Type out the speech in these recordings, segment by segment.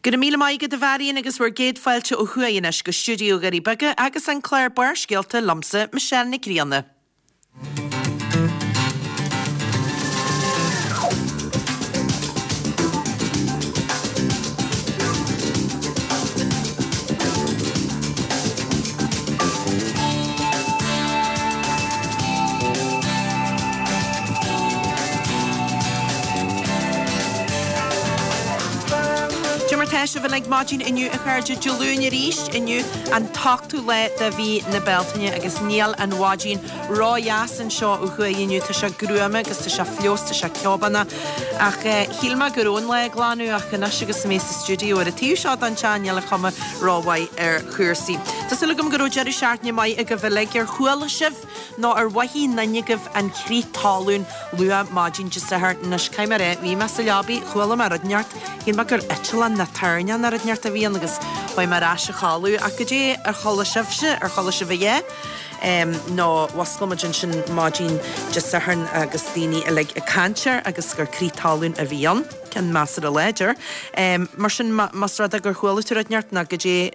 Go raibh míle maith agat a Mharion agus bhur gcéad fáilte ó thuaidh anois go stiúideo Dhoirí Beaga agus an clár Barrscéalta liomsa, Michelle Nic Grianna. Cad é mar tá sibh uilig maidin inniu a chairde Dé Luain arís inniu an t-ochtú lá de mhí na Bealtaine agus níl an mhaidin ró-dheas anseo ó thuaidh inniu. Tá sé gruama agus tá sé fliuch, tá sé ceobánach. Ach shíl mé go raibh an lá ag glanadh ach anois agus mé sa stiúideo ar an taobh seo den teach níl an chuma rómhaith ar chúrsaí. Tá súil agam go raibh deireadh seachtaine maith agaibh uilig. Ar chuala sibh nó ar mhothaigh aon duine agaibh an crith talún luath maidin Dé Sathairn? Anois caithfidh mé a rá, bhí mé sa leabaidh, chuala mé rud inteacht, shíl mé gur eitleán nó toirneach nó rud inteacht a bhí ann agus chuaigh mé ar ais a chodladh. Ach goidé ar chuala sibhse, ar chuala sibh a dhath? Nó mhuscail muid ansin maidin Dé Sathairn agus daoine uilig ag caint air agus gur crith talún a bhí ann. Ceann measartha láidir. Mar sin, más rud é gur chuala tú rud inteacht nó goidé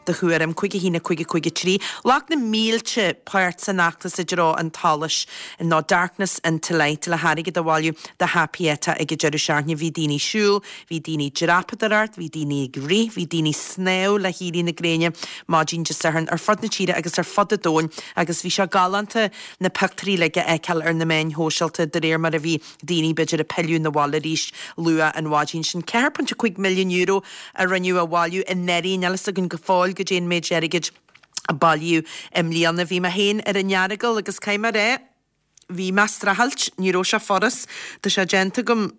do thuairim, 5 1 5 5 3. Ghlac na mílte páirt san fheachtas i dtreo an tsolais nó Darkness into Light le hairgead a bhailiú do Pieta ag an deireadh seachtaine. Bhí daoine ag siúl, bhí daoine ag dreapadóireacht, bhí daoine ag rith, bhí daoine ag snámh le héirí na gréine maidin Dé Sathairn ar fud na tíre agus ar fud an domhain agus bhí sé galánta na pictiúirí uilig a fheiceáil ar na meáin shóisialta de réir mar a bhí daoine b'fhéidir ag pilleadh 'na bhaile arís luath an mhaidin sin. €4.5 milliún a rinneadh a bhailiú anuraidh, níl a fhios againn go fóill goidé an méid airgid a bailíodh i mbliana. Bhí mé féin ar an Earagail agus caithfidh mé a rá, bhí mé ag streachailt, ní raibh sé furast, tá sé déanta agam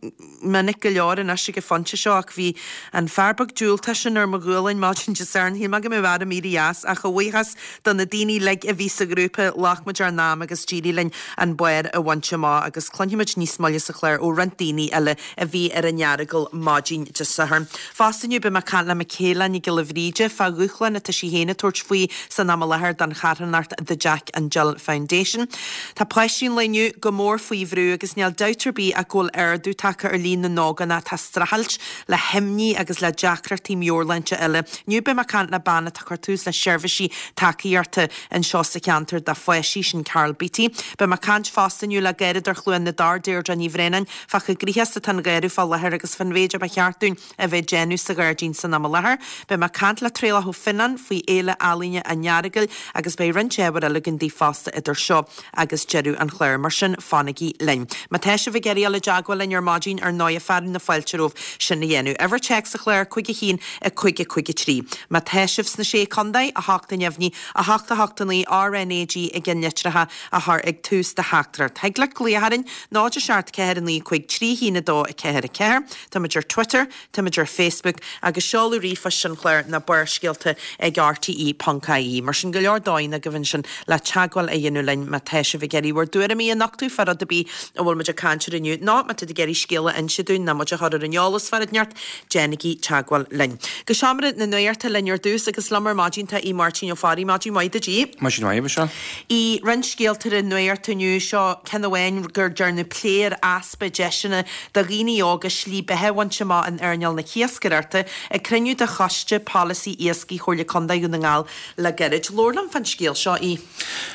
minic go leor anois ag an phointe seo ach bhí an fear beag diúltach sin ar mo ghualainn maidin Dé Sathairn, shíl mé go mbeadh orm éirí as ach a bhuíochas do na daoine uilig a bhí sa ghrúpa, ghlac muid ár n-am agus d'éirigh linn an barr a bhaint amach agus cluinfimid níos moille sa chlár ó roinnt daoine eile a bhí ar an Earagail maidin Dé Sathairn. Fosta inniu beidh mé ag caint le Michaela Nic Giolla Bhríde fá dhúshlán atá sí féin ag tabhairt faoi san am i láthair don charthanacht The Jack and Jill Foundation. Tá páistí an lae inniu go mór faoi bhrú agus níl dabht ar bith ach go bhfuil ardú tagtha ar líon na n-ógánach atá ag streachailt le himní agus le deacrachtaí meabhairshláinte eile. Inniu beidh mé ag caint le bean atá ag cur tús le seirbhísí tacaíochta anseo sa cheantar do pháistí, sin Carol Beattie. Beidh mé ag caint fosta inniu le Garradóir Chluain na dTor, Deirdre Ní Bhraonáin, fá chomh gnoitheach is atá an gharradh fá láthair agus fán mhéid a ba cheart dúinn a bheith ag déanamh sa ghairdín san am i láthair. Beidh mé ag caint le Traolach Ó Fionnáin faoi Fhéile Ealaíne an Earagail agus beidh roinnt ábhair eile againn daoibh fosta idir seo agus deireadh an chláir. Mar sin, fanaigí linn. Má tá sibh ag iarraidh dul i dteagmháil linn ar maidin, ar ndóighe, fearadh na fáilte romhaibh sin a dhéanamh. Uimhir téacs an chláir, 5 1 5 5 3. Má tá sibh sna Sé Contae, 8 a neamhní, 8 8 9, RnaG i gceannlitreacha a chur ag tús do theachtaireacht. Thig leat glaoch orainn, 0 7 4 9 5 3 1 2 4 4. Táimid ar Twitter, táimid ar Facebook agus seoladh ríomhphoist an chláir ná Barrscéalta ag rte.ie. Mar sin, go leor dóigheanna agaibh ansin le teagmháil a dhéanamh linn má tá sibh ag iarraidh bhur dtuairimí a nochtadh fá rud ar bith a bhfuil muid ag caint air inniu nó má tá tú ag iarraidh scéal a inse dúinn nó muid a chur ar an eolas fá rud inteacht, déanaigí teagmháil linn. Go seomra na nuachta linn ar dtús agus liom ar maidin tá Aodh Máirtín Ó Fearraigh. Maidin mhaith duit, Aodh. Maidin mhaith, a Mhichelle. Aodh, roinnt scéalta ar an nuacht inniu, seo ceann amháin gur dearnadh plé ar easpa deiseanna do dhaoine óga slí beatha a bhaint amach in earnáil na hiascaireachta ag cruinniú de Choiste Polasaí Iascaigh Chomhairle Contae Dhún na nGall le gairid. Labhair liom fán scéal seo, Aodh.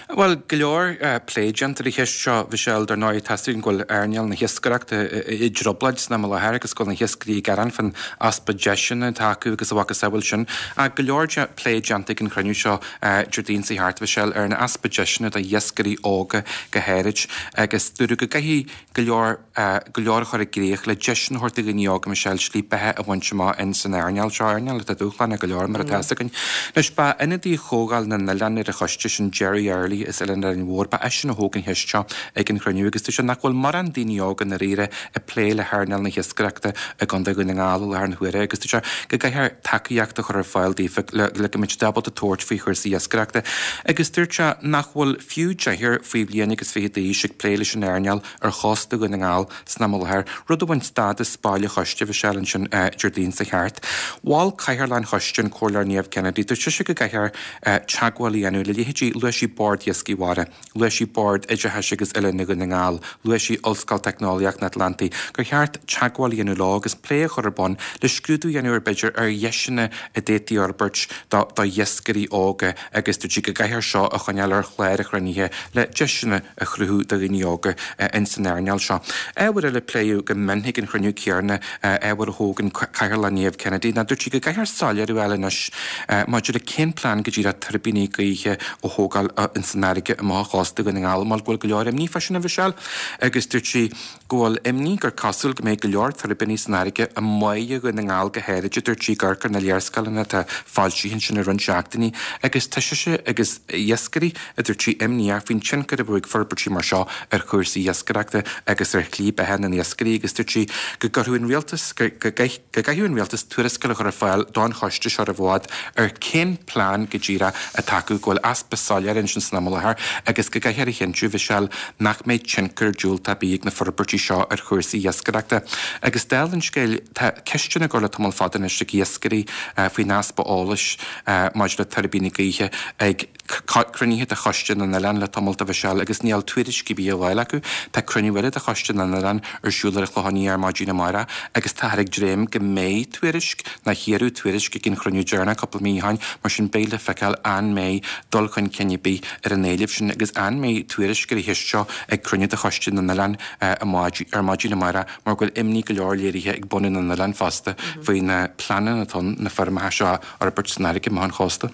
Bhuel, go leor plé déanta ar an cheist seo, a Mhichelle. Dar ndóigh, tá a fhios againn go bhfuil earnáil na hiascaireachta i dtrioblóid san am i láthair agus go bhfuil na hiascairí ag gearán fán easpa deiseanna atá acu agus a mhacasamhail sin. Ach go leor plé déanta ag an chruinniú seo Déardaoin seo thart, a Mhichelle, ar an easpa deiseanna do iascairí óga go háirid agus dúradh go gcaithfidh go leor go leor a chur i gcrích le deiseanna a thabhairt do dhaoine óga, Michelle, slí beatha a bhaint amach in san earnáil seo, earnáil atá dúshlánach go leor mar atá fhios againn. Anois, ba ionadaí Chomhdháil na nOileán ar an choiste sin, Gerry Early as Oileán Árainn Mhór, ba eisean a thóg an cheist seo ag an chruinniú agus dúirt sé nach bhfuil morán daoine óga i ndáiríre ag plé le hearnáil na hiascaireachta i gContae Dhún na nGall i láthair na huaire agus dúirt sé go gcaithfear tacaíocht a chur ar fáil daofa le go mbeidh siad ábalta tabhairt faoi chúrsaí iascaireachta agus dúirt sé nach bhfuil fiú deichniúr faoi bhliain agus 20 d'aois ag plé leis an earnáil ar chósta Dhún na nGall san am i láthair, rud a bhain stádas baill an choiste, Mhichelle, ansin Déardaoin seo thart. Mhol Cathaoirleach an Choiste, an Comhairleoir Niamh Kennedy, dúirt sise go gcaithfear teagmháil a dhéanamh le leithéidí, luaigh sí Bord Iascaigh Mhara, luaigh sí Bord Oideachais. Breise agus Oiliúna Dhún na nGall, luaigh sí Ollscoil Teicneolaíocht an Atlantaigh, gur cheart teagmháil a dhéanamh leo agus plé a chur ar bun le scrúdú a dhéanamh ar b'fhéidir ar dheiseanna a d'fhéadfaí a fhorbairt do d'iascairí óga agus dúirt sí go gcaithfear seo a choinneáil ar chlár an chruinnithe le deiseanna a chruthú do dhaoine óga ins an earnáil seo. Ábhar eile a pléadh go mion ag an chruinniú céanna, ábhar a thóg an Cathaoirleach Niamh Kennedy, ná dúirt sí go gcaithfear soiléiriú a fháil anois maidir le cén plean go díreach tuirbíní gaoithe a thógáil ins an fharraige amach ó chósta Dhún na nGall mar go bhfuil go leor imní fá sin a Mhichelle agus dúirt sí go bhfuil imní gur cosúil go mbeidh go leor tuirbíní san fharraige amuigh ó Dhún na nGall go háirid, a dúirt sí, ag amharc ar na léarscáileanna atá foilsithe ansin le roinnt seachtainí agus tá sise agus iascairí, a dúirt sí, imníoch faoin tionchar a bheadh ag forbairtí mar seo ar chúrsaí iascaireachta agus ar shlí beatha na n-iascairí agus dúirt sí go gcuirfeadh an rialtas, go go gcaithfeadh an rialtas tuarascáil a chur ar fáil don choiste seo roimh i bhfad ar cén plean go díreach atá acu, go bhfuil easpa soiléire ansin san am i láthair agus go gcaithfear a chinntiú, Mhichelle, nach mbeidh tionchar diúltach ar bith ag na forbairtí seo ar chúrsaí iascaireachta. Agus dála an scéil, tá ceisteanna á gcur le tamall fada anois ag iascairí faoin easpa eolais maidir le tuirbíní gaoithe ag cruinnithe de Choiste na nOileán le tamall, a Mhichelle, agus níl tuairisc ar bith á fháil acu. Tá cruinniú eile de Choiste na nOileán ar siúl ar an Chlochán Liath ar maidin amárach agus táthar ag dréim go mbeidh tuairisc, nach iarradh tuairisc ag an chruinniú deireanach cúpla mí ó shin, mar sin beidh le feiceáil an mbeidh dul chun cinn ar bith ar an éileamh sin agus an mbeidh tuairisc ar an cheist seo ag cruinniú de Choiste na nOileán ar maidin amárach mar go bhfuil imní go leor léirithe ag bunadh na n-oileán fosta faoi na pleananna atá ann na feirmeacha seo a fhorbairt san fharraige amach ón chósta.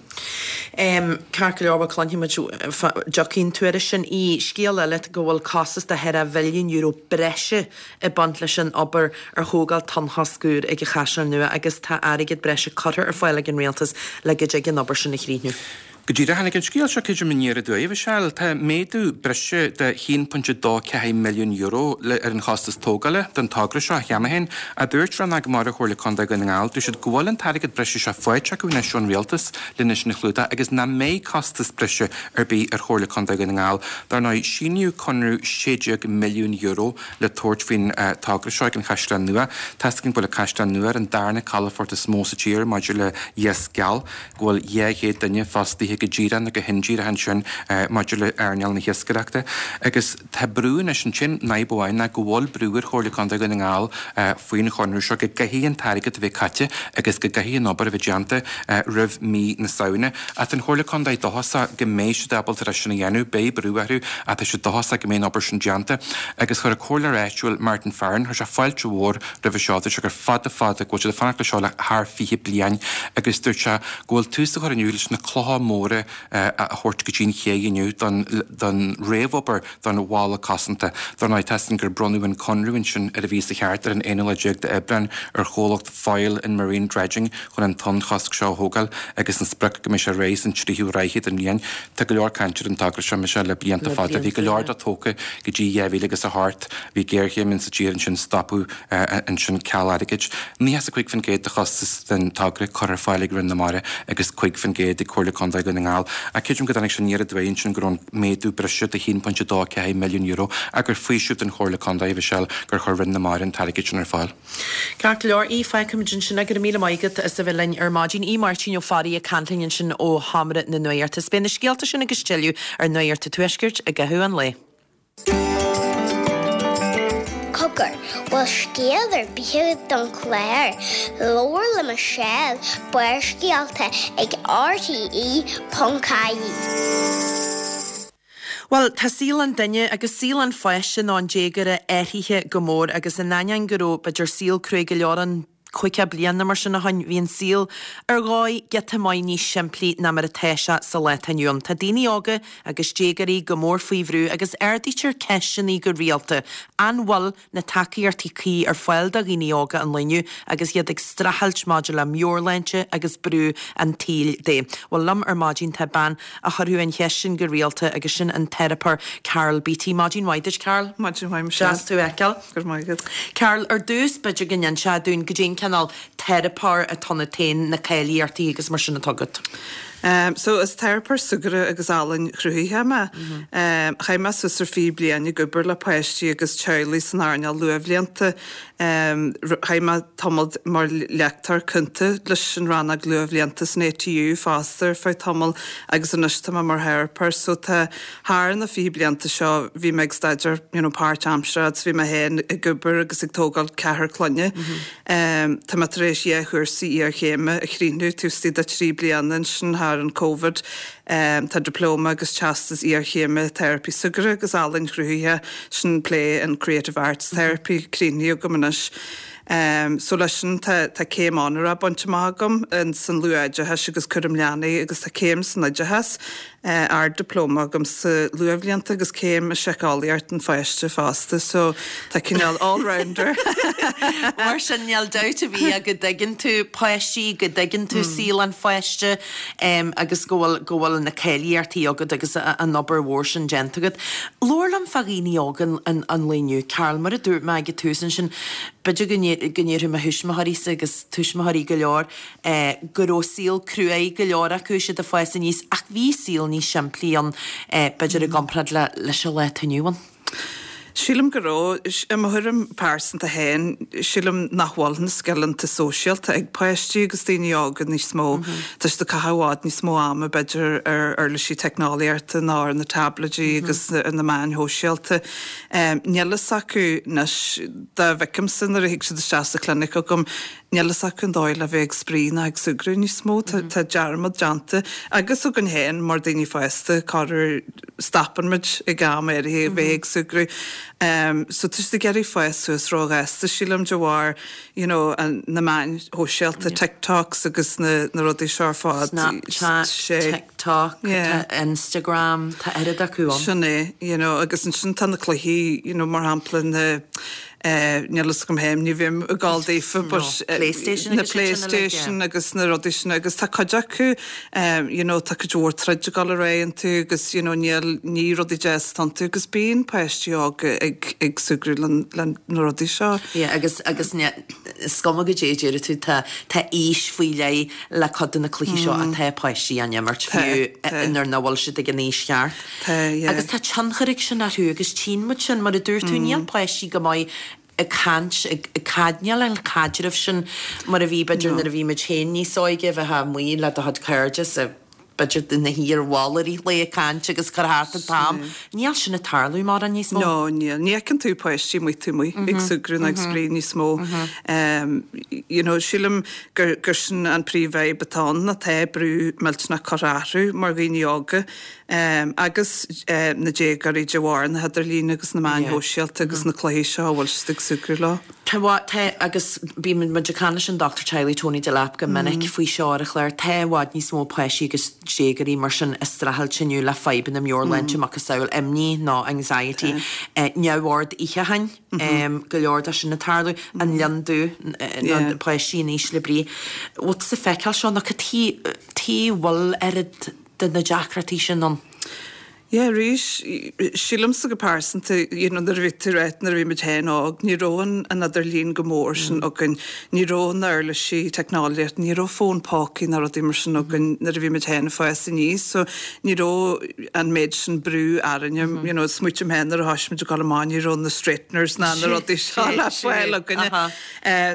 Ceart go leor, bhuel cluinfidh muid fá dtiocfaidh an tuairisc sin. Í scéal eile go bhfuil costas de cheithre mhilliún euro breise ag baint leis an obair ar thógáil tonnchosc úr ag an Chaisleán Nua agus tá airgead breise curtha ar fáil ag an Rialtas le go dtig an obair sin a chríochnú. Go díreach, tháinig an scéal seo creidim aniar aduaidh, a Mhichelle. Tá méadú breise de €1.24 milliún le ar an chostas tógála don togra seo cheana féin, a dúirt Rannóg Mara Chomhairle Contae Dhún na nGall. Dúirt siad go bhfuil an t-airgead breise seo faighte acu anois ón Rialtas lena sin a chlúdach agus nach mbeidh costas breise ar bith ar Chomhairle Contae Dhún na nGall. Dar ndóigh, síníodh conradh €16 milliún le tabhairt faoin togra seo ag an Chaisleán Nua. Tá's againn go bhfuil an Caisleán Nua ar an darna calafort is mó sa tír maidir le hiasc geal. go bhfuil 200 duine fostaithe go díreach nó go hindíreach ansin maidir le earnáil na hiascaireachta agus tá brú anois ansin, an fhadhb amháin ná go bhfuil brú ar Chomhairle Contae Dhún na nGall faoin chonradh seo go gcaithfidh an t-airgead a bheith caite agus go gcaithfidh an obair a bheith déanta roimh mí na Samhna. Ach tá an Chomhairle Contae dóchasach go mbeidh siad ábalta é sin a dhéanamh, beidh brú orthu ach tá siad dóchasach go mbeidh an obair sin déanta agus chuir an comhairleoir áitiúil Martin Farren, chuir sé fáilte mhór roimhe seo. Dúirt sé gur fada fada go bhfuil siad ag fanacht leis seo le thar 20 bliain agus dúirt sé go bhfuil tús á chur inniu leis na clocha móra a thabhairt go dtí an ché inniu don don réamhobair don bhalla cosanta. Dar ndóigh, tá's againn gur bronnadh an conradh ansin ar an mhíosa cheart ar an aonú lá déag d'Aibreán ar chomhlacht Foyle and Marine Dredging chun an tonnchosc seo a thógáil agus an sprioc go mbeidh sé réidh san tríú ráithe den bhliain. Tá go leor cainte ar an togra seo, Michelle, le blianta fada. Bhí go leor de tógtha go dtí 2008. Bhí géarchéim insa tír ansin, stopadh ansin ceal airgid. 95% de chostas den togra curtha ar fáil ag Roinn na Mara agus 5% ag Comhairle Contae Dhún na nGall. Ach creidim go dtáinig sé aniar aduaidh ansin go raibh an méadú breise de €1.24 milliún ach gur faoiseamh don Chomhairle Contae, a Mhichelle, gur chuir Roinn na Mara an t-airgead sin ar fáil. Ceart go leor, Aodh, fágfaimid ansin é. Go raibh míle maith agat as a bheith linn ar maidin. Aodh Máirtín Ó Fearraigh ag caint linn ansin ó Sheomra na Nuachta. Is beidh na scéalta sin agus tuilleadh ar Nuacht an Tuaiscirt i gcaitheamh an lae. Cogar, bhfuil scéal ar bith agat don chlár? Labhair le Michelle, Barrscéalta ag RTE.ie. Bhuel, tá saol an duine agus saol an pháiste nó an déagóra athraithe go mór agus in ainneoin go raibh, b'fhéidir, saol cruaidh go leor ann 50 bliain nó mar sin ó shoin, bhí an saol ar dhóigh giota maith níos simplí ná mar atá sé sa lá atá inniu ann. Tá daoine óga agus déagóirí go mór faoi bhrú agus ardaítear ceisteanna go rialta. An bhfuil na tacaíochtaí cuí ar fáil do dhaoine óga an lae inniu agus iad ag streachailt maidir le meabhairshláinte agus brú an tsaoil de. Bhuel, liom ar maidin tá bean a chuirfeadh an cheist sin go rialta agus sin an teiripeoir Carol Beattie. Maidin mhaith duit, Carol. Maidin mhaith, Michelle. Deas tú a fheiceáil. Go raibh maith agat. Carol, ar dtús b'fhéidir go n-inseofá dúinn goidé an cineál teiripeoir atá ionat féin, na cáilíochtaí agus mar sin atá agat. So is teiripeoir súgartha agus ealaín chruthaithe mé. Chaith mé suas ar 20 bliain ag obair le páistí agus teaghlaigh san earnáil luathbhlianta. Chaith mé tamall mar léachtóir cúnta leis an rannóg luathbhlianta san ATU fosta ar feadh tamaill agus anois tá mé mar theiripeoir. So tá thar na 20 blianta seo bhí mé ag staidéar you know páirtaimseartha agus bhí mé féin ag obair agus ag tógáil ceathrar clainne. Tá mé tar éis dhá chúrsa iarchéime a chríochnú taobh istigh de thrí bliana ansin thar an Covid. Tá Dioplóma agus Teastas Iarchéime Teiripí Súgartha agus Ealaín Chruthaithe, sin Play and Creative Arts Therapy, críochnaithe agam anois. So leis sin tá tá céim onórach bainte amach agam san luathoideachas agus cúram leanaí agus tá céim san oideachas. Ard-Dioplóma agam sa luathbhlianta agus céim i síceolaíocht an pháiste fosta so tá cineál all-rounder. Mar sin níl dabht ar bith ach go dtuigeann tú páistí, go dtuigeann tú saol an pháiste agus go bhfuil, go bhfuil na cáilíochtaí agat agus an obair mhór sin déanta agat. Labhair liom fá dhaoine óga an lae inniu, Carol, mar a dúirt mé ag an tús ansin, b'fhéidir go ndéarfadh mo thuismitheoirí-sa agus tuismitheoirí go leor, go raibh saol cruaidh go leor acu siad ag fás aníos ach bhí saol níos simplí ann b'fhéidir i gcomparáid leis an lá atá inniu ann. Sílim go raibh. I mo thuairim pearsanta féin, sílim nach bhfuil na scileanna sóisialta ag páistí agus daoine óga níos mó. Tá siad ag caitheamh i bhfad níos mó ama b'fhéidir ar uirlisí teicneolaíochta ná ar na táibléidí agus ar na meáin shóisialta. Níl fhios acu anois, dá bhfeicimse nuair a thig siad isteach sa chlinic agam, Níl fhios acu an dóigh le bheith ag spraoi ná ag súgradh níos mó. Tá dearmad déanta agus againn féin mar daoine fásta, corruair stopann muid ag am áirithe a bheith ag súgradh. So tá siad ag iarraidh fás suas róghasta, sílim, de bharr you know na meáin shóisialta, TikToks agus na rudaí seo ar fad. Snapchat, TikTok, Instagram, tá oiread acu ann. Sin é, you know, agus ansin tá na cluichí, you know, mar shampla na Níl fhios agam féin, ní bhím ag gabháil daofa but Playstation na Playstation agus na rudaí sin agus tá cuid acu you know tá cuid mhór troid ag dul ar aghaidh iontu agus you know níl ní rudaí deas atá iontu agus bíonn páistí óga ag ag súgradh le le na rudaí seo. Yeah agus agus is cuma goidé a déarfaidh tú tá tá aois faoi leith le cuid de na cluichí seo atá páistí á n-imirt fiú nuair nach bhfuil siad ag an aois cheart. Tá, yeah. Agus tá tionchar ag sin orthu agus tchíonn muid sin, mar a dúirt tú, níl páistí go maith ag caint, ag caid, níl an caidreamh sin mar a bhí b'fhéidir nuair a bhí muid féin níos óige, bheifeá amuigh le do chuid cairde sa, b'fhéidir ina shuí ar bhalla i rith an lae ag caint agus cur thart an t-am. Níl sin ag tarlú mórán níos mó. No, níl. Ní fheiceann tú páistí amuigh taobh amuigh ag súgradh ná ag spraoi níos mó. You know, sílim gur, gur sin an príomhfhadhb atá ann, ná tá brú millteanach curtha orthu mar dhaoine óga. agus na déagóirí de bharr na hidirlíne agus na meáin shóisialta agus na cluichí seo a bhfuil siad ag súgradh leo. Tá, tá, agus bíonn muid ag caint leis an dochtúir teaghlaigh Tony Delap go minic faoi seo ar an chlár, tá i bhfad níos mó páistí agus déagóirí mar sin ag streachailt inniu le fadhbanna meabhairshláinte, macasamhail imní nó anxiety, neamhord itheacháin, go leor de sin ag tarlú, an lionn dubh, nó páistí in ísle brí. Bhfuil tusa ag feiceáil seo nó cad chuige a bhfuil oiread de na deacrachtaí sin ann. Yeah, arís, sílimse go pearsanta, you know, nuair a bhí tú ag ráit, nuair a bhí muid féin óg, ní raibh an, an idirlíon go mór sin againn, ní raibh na uirlisí teicneolaíochta, ní raibh fón pócaí ná rudaí mar sin againn nuair a bhí muid féin ag fás aníos, so ní raibh an méid sin brú orainne, you know, smaoiním féin nuair a thoisigh muid ag dul amach, ní raibh na straighteners ná na rudaí seo le fáil againne.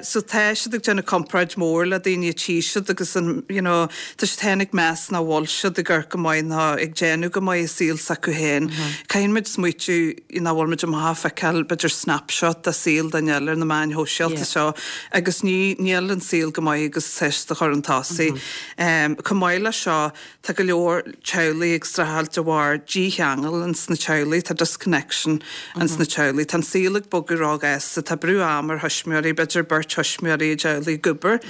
So tá siad ag déanamh comparáid mór le daoine a tchí siad agus an, you know, tá siad féin ag meas nach bhfuil siad ag amharc go maith ná ag déanamh go maith i saol s'acu féin. Caithfidh muid smaoitiú nach bhfuil muid amach ag feiceáil b'fhéidir snapshot de saol duine eile ar na meáin shóisialta seo agus ní, níl an saol go maith agus tá siad a chur chun tosaigh. Chomh maith le seo, Tá go leor teaghlaigh ag streachailt de bharr dícheangal ins na teaghlaigh, tá disconnection ins na teaghlaigh. Tá an saol ag bogadh róghasta, tá brú ama ar thuismitheoirí, b'fhéidir beirt thuismitheoirí i dteaghlaigh ag obair.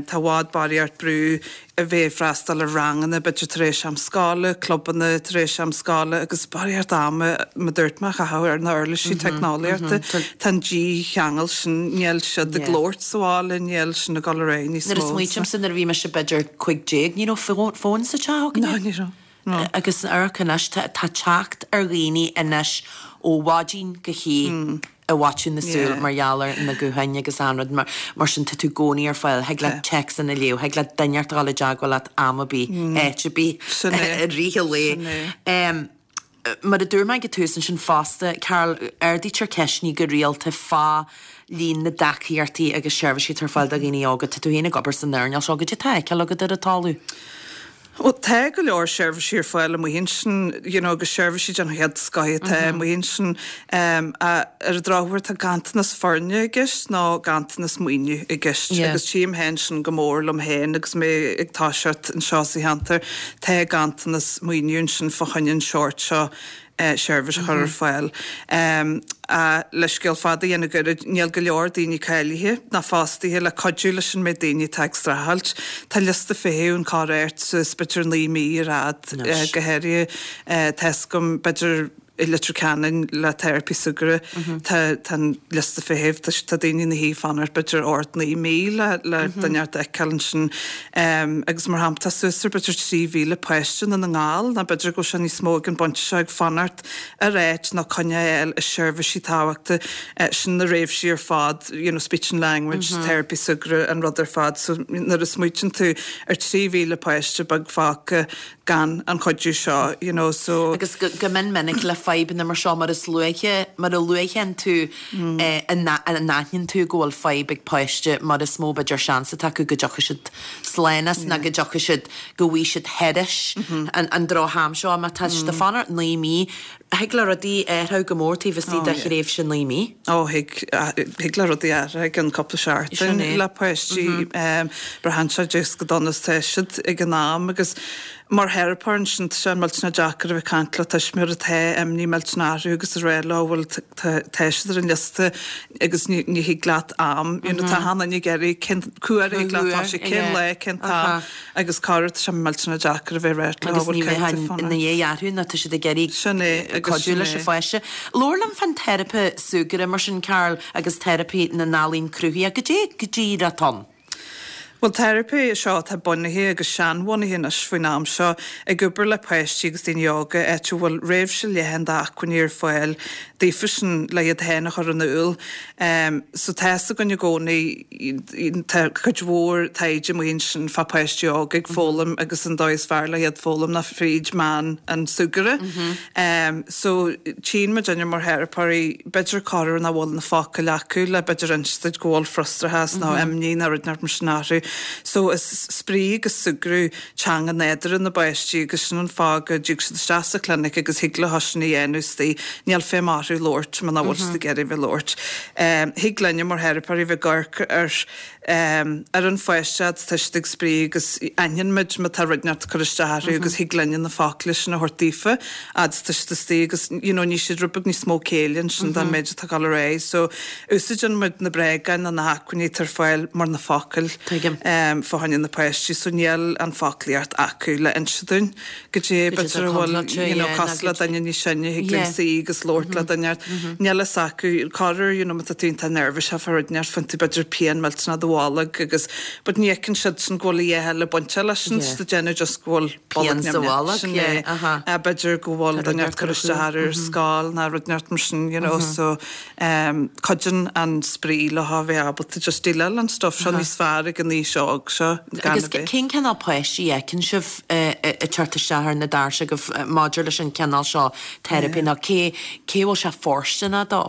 Tá i bhfad barraíocht brú a bheith ag freastal ar ranganna, b'fhéidir tar éis am scoile, clubanna tar éis am scoile agus barraíocht ama, mar a dúirt mé, a chaitheamh ar na uirlisí teicneolaíochta. Tá an dícheangal sin, níl siad ag labhairt sa bhaile, níl sin ag dul ar aghaidh níos mó. Nuair a smaoitímse nuair a bhí mise b'fhéidir 15, ní raibh fón sa teach againne. No, ní raibh. Agus amharc anois, tá teacht ar dhaoine anois ó mhaidin go hoíche i bhfaiteadh na súl mar gheall ar na gutháin agus achan rud mar sin, tá tú i gcónaí ar fáil, thig leat téacsanna a léamh, thig leat duine inteacht a dhul i dteagmháil leat am ar bith, áit ar bith, i rith an lae. Mar a dúirt mé ag an tús ansin fosta, Carol, ardaítear ceisteanna go rialta fá líon na dtacaíochtaí agus seirbhísí atá ar fáil do dhaoine óga. Tá tú féin ag obair san earnáil seo, goidé atá á fheiceáil agat ar an talamh? Bhuel, tá go leor seirbhísí ar fáil amuigh ansin, you know, agus seirbhísí den chéad scoth atá amuigh ansin. Ar an drochuair tá ganntanas foirne i gceist nó ganntanas maoiniú i gceist agus tchím féin sin go mór liom féin agus mé ag toiseacht anseo sa cheantar. Tá ganntanas maoiniú ansin fá choinne an seort seo seirbhís a chur ar fáil. Le scéal fada a dhéanamh gairid, níl go leor daoine cáilithe ná fostaithe le cuidiú leis an méid daoine atá ag streachailt. Tá liosta feithimh ann corruair suas b'fhéidir 9 mí ar fhad, go háirithe tá 'fhios agam b'fhéidir i Leitir Ceanainn le teiripí súgartha tá tá an liosta feithimh tá tá daoine ina shuí ag fanacht b'fhéidir 8, 9 mí le le duine inteacht a fheiceáil ansin. Agus mar shampla tá suas ar b'fhéidir 3,000 páiste i nDún na nGall nó b'fhéidir go bhfuil sé níos mó ag an bpointe seo ag fanacht ar áit nó coinne a fháil i seirbhísí tábhachta sin na réimsí ar fad you know speech and language, teiripí súgartha an rud ar fad so nuair a smaoitíonn tú ar 3,000 páiste beag fágtha gan an chuidiú seo, you know, so. Agus go mion minic le fadhbanna mar seo, mar is luaithe, mar a luaithe tú a n-aithníonn tú go bhfuil fadhb ag páiste, mar is mó b'fhéidir seans atá acu go dtiocfaidh siad slán as nó go dtiocfaidh siad, go bhfaighidh siad thairis an droch-am seo. Má tá siad ag fanacht 9 mí, Thig le rudaí athrú go mór taobh istigh de thréimhse 9 mí. Ó, thig, thig le rudaí athrú i gcionn cúpla seachtain le páistí. Braitheann sé just chomh dona is atá siad ag an am agus mar theiripeoir ansin tá sé millteanach deacair a bheith ag caint le tuismitheoir atá imní millteanach orthu agus a rá leo bhfuil tá siad ar an liosta agus ní ní thig leat am, you know, tá achan duine ag iarraidh cén cá huair a thig leat toiseacht, cén lá, cén t-am. Agus corruair tá sé millteanach deacair a bheith ag ráit leo Agus ní bheifeá ina dhiaidh orthu nó tá siad ag iarraidh Sin é, agus cuidiú sin leis é. an pháiste. Labhair liom fán teiripe súgartha mar sin, Carol, agus teiripe na n-ealaíon cruthaitheach. Goidé go díreach atá ann? Bhuel, teiripe seo atá bunaithe agus seanbhunaithe anois faoin am seo, ag obair le páistí agus daoine óga, áit a bhfuil réimse leathan d'acmhainní ar fáil daofa sin le iad féin a chur in iúl. So tá 'fhios againn i gcónaí, Tá cuid mhór taighde amuigh ansin fá páistí óga ag foghlaim agus an dóigh is fearr le iad foghlaim ná fríd meán an súgartha. So tchíonn muidinne mar theiripeoirí b'fhéidir corruair nach bhfuil na focail acu le b'fhéidir inse duit go bhfuil frustrachas nó imní nó rud inteacht mar sin orthu. So is spraoi agus súgradh teanga nádúrtha na bpáistí agus sin an fáth go dtig siad isteach sa chlinic agus thig leo sin a dhéanamh istigh. Níl feidhm orthu labhairt muna bhfuil siad ag iarraidh bheith labhairt. Thig linne mar theiripeoirí bheith ag amharc ar ar an pháiste fhad is tá siad ag spraoi agus aithníonn muid má tá rud inteacht ag cur isteach orthu agus thig linne na focla sin a thabhairt daofa fhad is tá siad istigh agus you know níl siad rud beag níos mó céille ansin don méid atá ag dul ar aghaidh. So úsáideann muid na bréagáin nó na hacmhainní atá ar fáil mar na focail fá choinne na páistí so níl an foclaíocht acu le inse dúinn goidé b'fhéidir a bhfuil you know cosúil le duine níos sine thig linn suí agus labhairt le duine níl fhios acu corruair you know má tá tú iontach neirbhíseach fá rud inteacht faigheann tú b'fhéidir pian millteanach i do bholg agus but ní fheiceann siad sin go bhfuil a dhath eile bainteach leis sin tá siad ag déanamh just go bhfuil pian sa bholg sin é b'fhéidir go bhfuil duine inteacht ag cur isteach orthu ar scoil nó rud inteacht mar sin you know so Cuidíonn an spraoi leo a bheith ábalta just déileáil an stuff seo níos fearr ag an aois óg seo gan a bheith. Agus cén cineál páistí a fheiceann sibh ag teacht isteach ar na doirse agaibh maidir leis an cineál seo teiripe nó cé cé a bhfuil sé fóirsteanach dó?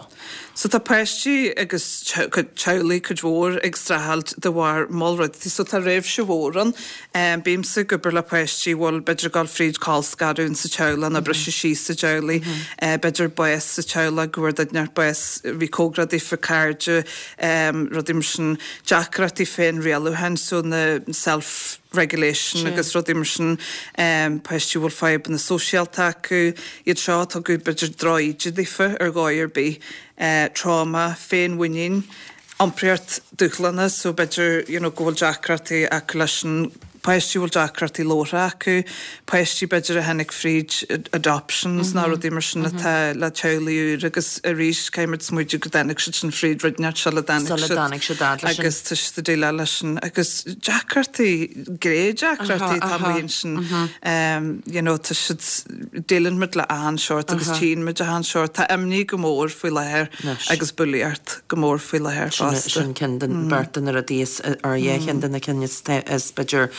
So tá páistí agus teaghlaigh cuid mhór ag streachailt de bharr moll rudaí so tá réimse mhór ann. Bímse ag obair le páistí a bhfuil b'fhéidir ag dul fríd colscaradh insa teaghlach nó briseadh síos sa teaghlaigh, b'fhéidir bás sa teaghlach, go bhfuair duine inteacht bás, bhí cóngarach daofa, cairde, rudaí mar sin, deacrachtaí féinrialúcháin, so na self regulation agus rudaí mar sin, páistí a bhfuil fadhbanna sóisialta acu, iad seo a tugadh b'fhéidir droch-íde daofa ar dhóigh ar bith, trauma, féinmhuinín, iompraíocht dúshlánach so b'fhéidir you know go bhfuil deacrachtaí acu leis an. Páistí a bhfuil deacrachtaí labhartha acu, páistí b'fhéidir a tháinig fríd adoptions nó rudaí mar sin atá le teaghlaigh úr agus arís caithfimid smaoitiú go dtáinig siad sin fríd rud inteacht sula dtáinig Sula siad dtáinig siad fhad leis sin. agus tá siad ag déileáil leis sin agus deacrachtaí, gné-deacrachtaí atá amuigh ansin you know tá siad, déileann muid le achan seort agus tchíonn muid achan seort. Tá imní go mór faoi láthair agus bulaíocht go mór faoi láthair fosta. Sin ceann den beirt de na rudaí is, ar yeah, ceann de na cinn is, is b'fhéidir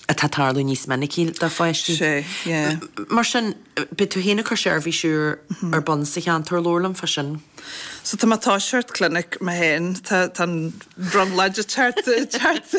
atá ag tarlú níos minicí do pháistí. Sé, yeah. Mar sin, beidh tú féin ag cur seirbhís úr ar bun sa cheantar, labhair liom fá sin. So tá mé ag toiseacht clinic mé féin, tá tá an brionglóid ag teacht ag teacht